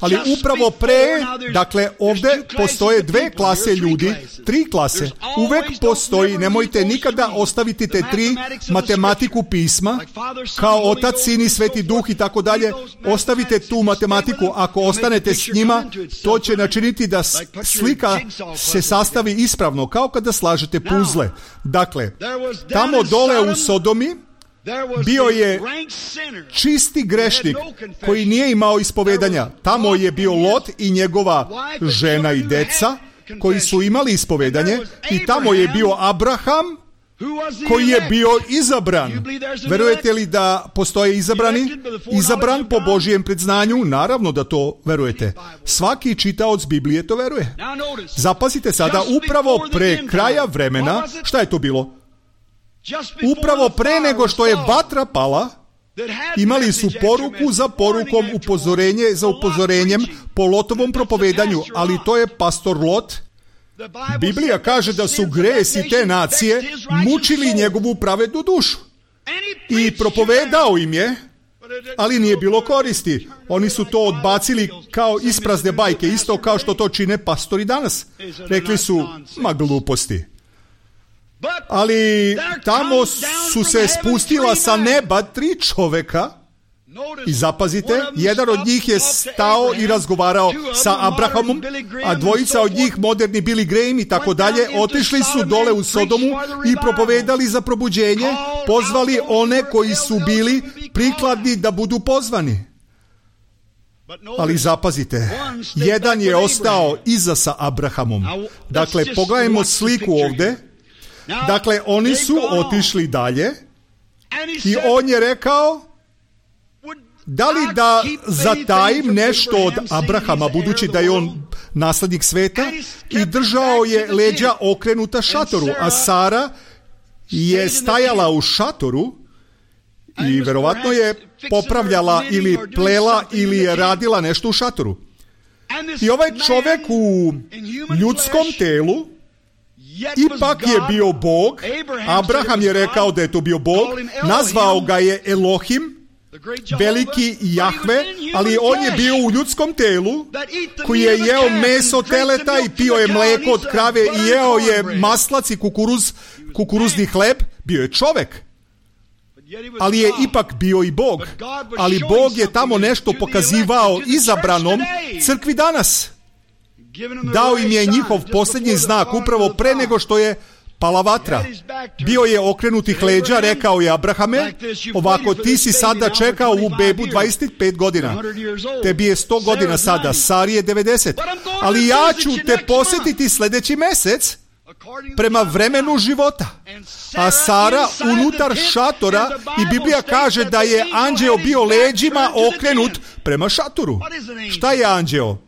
Ali upravo pre, dakle ovdje postoje dve klase ljudi, tri klase. Uvek postoji, nemojte nikada ostaviti te tri, matematiku pisma, kao Otac, Sin i Sveti Duh i tako dalje. Ostavite tu matematiku, ako ostanete s njima, to će načiniti da slika se sastavi ispravno, kao kada slažete puzle. Dakle, tamo dole u Sodomi bio je čisti grešnik koji nije imao ispovedanja. Tamo je bio Lot i njegova žena i deca koji su imali ispovedanje i tamo je bio Abraham koji je bio izabran. Verujete li da postoje izabrani? Izabran po Božijem predznanju? Naravno da to verujete. Svaki čitaoc Biblije to veruje. Zapazite sada, upravo pre kraja vremena, šta je to bilo? Upravo pre nego što je vatra pala, imali su poruku za porukom, upozorenje za upozorenjem po Lotovom propovedanju, ali to je pastor Lot. Biblija kaže da su gresi te nacije mučili njegovu pravednu dušu. I propovedao im je, ali nije bilo koristi. Oni su to odbacili kao isprazne bajke, isto kao što to čine pastori danas. Rekli su, ma gluposti. Ali tamo su se spustila sa neba tri čoveka i zapazite, jedan od njih je stao i razgovarao sa Abrahamom, a dvojica od njih, moderni Billy Graham i tako dalje, otišli su dole u Sodomu i propovedali za probuđenje, pozvali one koji su bili prikladni da budu pozvani. Ali zapazite, jedan je ostao iza sa Abrahamom. Dakle, pogledajmo sliku ovdje. Dakle, oni su otišli dalje i on je rekao, da li da zatajim nešto od Abrahama, budući da je on naslednik sveta, i držao je leđa okrenuta šatoru, a Sara je stajala u šatoru i verovatno je popravljala ili plela ili je radila nešto u šatoru. I ovaj čovjek u ljudskom telu ipak je bio Bog. Abraham je rekao da je to bio Bog, nazvao ga je Elohim, veliki Jahve, ali on je bio u ljudskom telu koji je jeo meso teleta i pio je mleko od krave i jeo je maslac i kukuruz, kukuruzni hleb. Bio je čovek, ali je ipak bio i Bog. Ali Bog je tamo nešto pokazivao izabranom crkvi danas. Dao im je njihov posljednji znak upravo pre nego što je pala vatra. Bio je okrenutih leđa, rekao je Abrahame, ovako ti si sada čekao u bebu dvadeset pet godina. Tebi je sto godina sada, Sari je devedeset. Ali ja ću te posjetiti sljedeći mjesec prema vremenu života. A Sara unutar šatora, i Biblija kaže da je anđeo bio leđima okrenut prema šatoru. Šta je anđeo?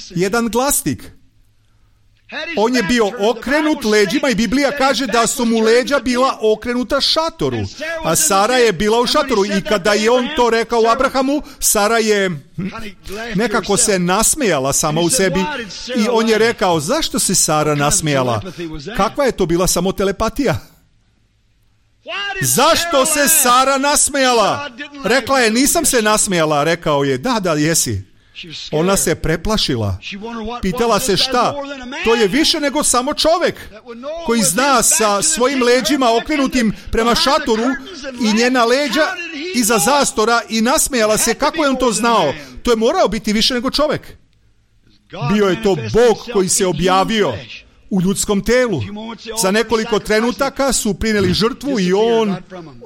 Jedan glasnik. On je bio okrenut leđima i Biblija kaže da su mu leđa bila okrenuta šatoru, a Sara je bila u šatoru. I kada je on to rekao Abrahamu, Sara je nekako se nasmejala sama u sebi i on je rekao, zašto se Sara nasmejala? Kakva je to bila samo telepatija? Zašto se Sara nasmejala? Rekla je, nisam se nasmejala. Rekao je, da, da, jesi. Ona se preplašila. Pitala se šta? To je više nego samo čovjek koji zna sa svojim leđima okrenutim prema šatoru i njena leđa iza zastora, i nasmejala se. Kako je on to znao? To je morao biti više nego čovjek. Bio je to Bog koji se objavio u ljudskom telu. Za nekoliko trenutaka su prineli žrtvu i on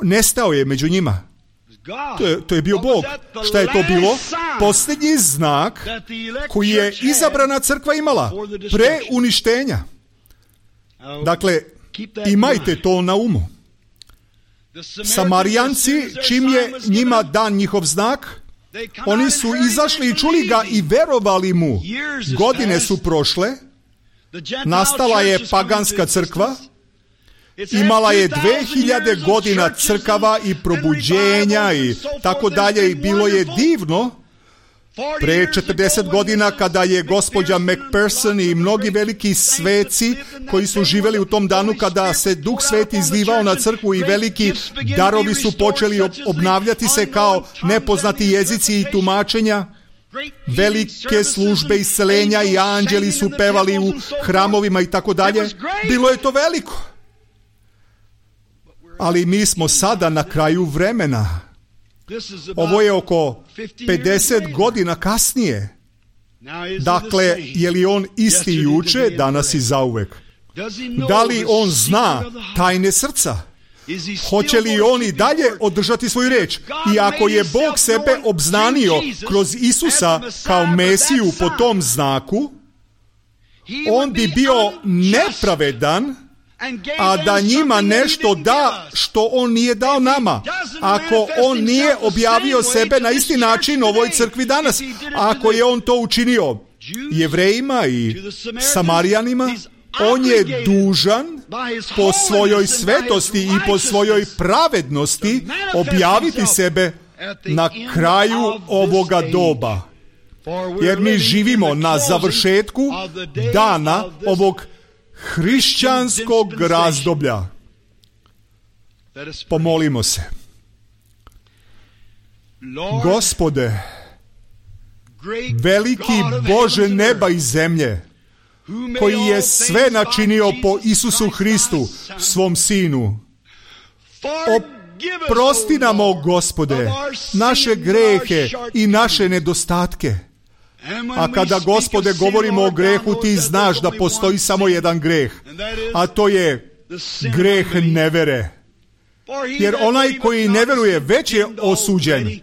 nestao je među njima. To je, to je bio Bog. Šta je to bilo? Posljednji znak koji je izabrana crkva imala pre uništenja. Dakle, imajte to na umu. Samarijanci, čim je njima dan njihov znak, oni su izašli i čuli ga i verovali mu. Godine su prošle, nastala je paganska crkva, imala je dve hiljade godina crkava i probuđenja i tako dalje, i bilo je divno, Pre četrdeset godina, kada je gospođa McPherson i mnogi veliki sveci koji su živjeli u tom danu, kada se Duh Sveti izlivao na crkvu i veliki darovi su počeli obnavljati se kao nepoznati jezici i tumačenja, velike službe isceljenja i anđeli su pevali u hramovima i tako dalje. Bilo je to veliko. Ali mi smo sada na kraju vremena. Ovo je oko pedeset godina kasnije. Dakle, je li on isti juče, danas i zauvek? Da li on zna tajne srca? Hoće li on i dalje održati svoju reč? I ako je Bog sebe obznanio kroz Isusa kao Mesiju po tom znaku, on bi bio nepravedan, a da njima nešto da što on nije dao nama. Ako on nije objavio sebe na isti način ovoj crkvi danas, ako je on to učinio Jevrejima i Samarijanima, on je dužan po svojoj svetosti i po svojoj pravednosti objaviti sebe na kraju ovoga doba. Jer mi živimo na završetku dana ovog hrišćanskog razdoblja. Pomolimo se. Gospode, veliki Bože neba i zemlje, koji je sve načinio po Isusu Hristu, svom Sinu, oprosti nam, o Gospode, naše grehe i naše nedostatke. A kada, Gospode, govorimo o grehu, ti znaš da postoji samo jedan greh, a to je greh nevere. Jer onaj koji ne veruje već je osuđen.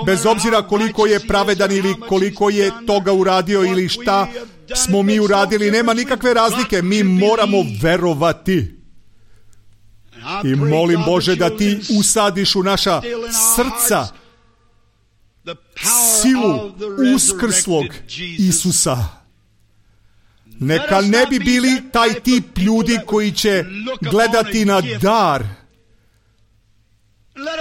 Bez obzira koliko je pravedan ili koliko je toga uradio ili šta smo mi uradili, nema nikakve razlike. Mi moramo verovati. I molim, Bože, da ti usadiš u naša srca silu uskrslog Isusa. Neka ne bi bili taj tip ljudi koji će gledati na dar.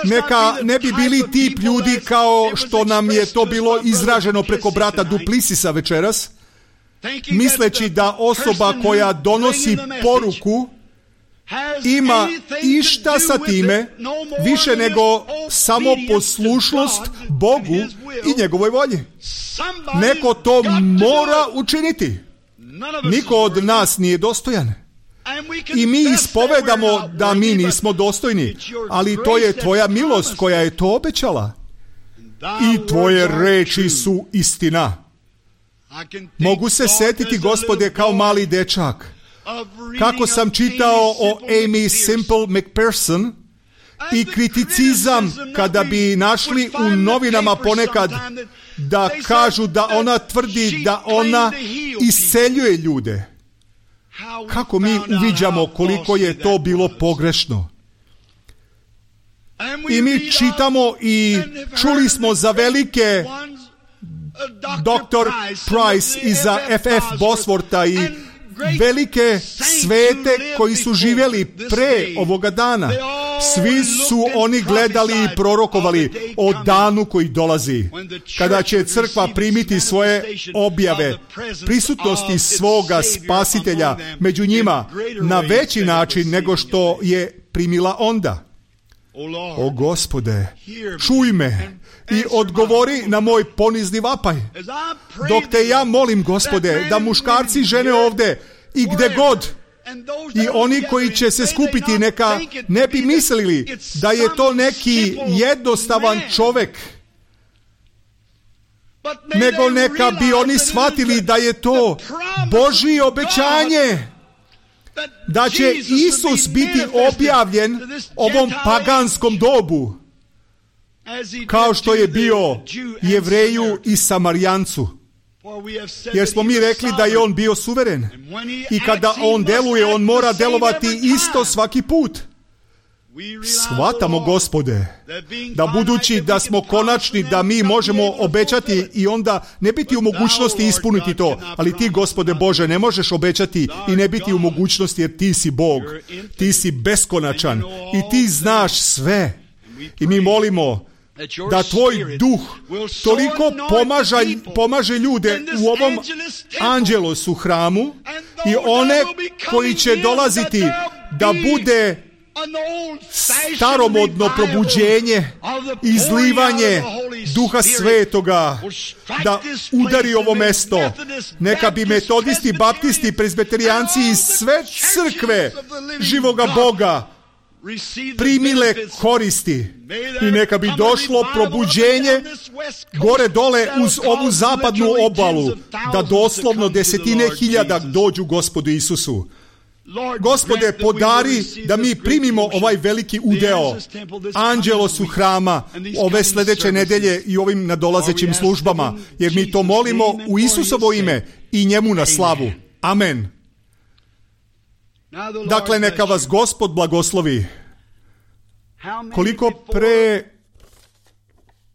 Neka ne bi bili tip ljudi kao što nam je to bilo izraženo preko brata Duplisisa večeras, misleći da osoba koja donosi poruku ima išta sa time više nego samo poslušnost Bogu i njegovoj volji. Neko to mora učiniti. Niko od nas nije dostojan. I mi ispovedamo da mi nismo dostojni, ali to je tvoja milost koja je to obećala. I tvoje reči su istina. Mogu se setiti, Gospode, kao mali dečak, kako sam čitao o Amy Simple McPherson i kriticizam kada bi našli u novinama ponekad da kažu da ona tvrdi da ona isceljuje ljude. Kako mi uviđamo koliko je to bilo pogrešno. I mi čitamo i čuli smo za velike doktor Price i za F F Boswortha i velike svete koji su živjeli pre ovoga dana. Svi su oni gledali i prorokovali o danu koji dolazi, kada će crkva primiti svoje objave, prisutnosti svoga spasitelja među njima na veći način nego što je primila onda. O Gospode, čuj me i odgovori na moj ponizni vapaj. Dok te ja molim, Gospode, da muškarci i žene ovde i gde god, i oni koji će se skupiti, neka ne bi mislili da je to neki jednostavan čovek, nego neka bi oni shvatili da je to Božje obećanje, da će Isus biti objavljen ovom paganskom dobu, kao što je bio Jevreju i Samarijancu. Jer smo mi rekli da je on bio suveren. I kada on deluje, on mora delovati isto svaki put. Shvatamo, Gospode, da budući da smo konačni, da mi možemo obećati i onda ne biti u mogućnosti ispuniti to. Ali ti, Gospode Bože, ne možeš obećati i ne biti u mogućnosti, jer ti si Bog. Ti si beskonačan i ti znaš sve. I mi molimo da tvoj duh toliko pomaža, pomaže ljude u ovom Angelosu hramu i one koji će dolaziti da bude staromodno probuđenje, izlivanje Duha Svetoga, da udari ovo mesto. Neka bi metodisti, baptisti, prezbeterijanci i sve crkve živoga Boga primile koristi i neka bi došlo probuđenje gore dole uz ovu zapadnu obalu, da doslovno desetine hiljada dođu Gospodu Isusu. Gospode, podari da mi primimo ovaj veliki udeo Angelosu hrama ove sljedeće nedelje i ovim nadolazećim službama, jer mi to molimo u Isusovo ime i njemu na slavu. Amen. Dakle, neka vas Gospod blagoslovi. Koliko pre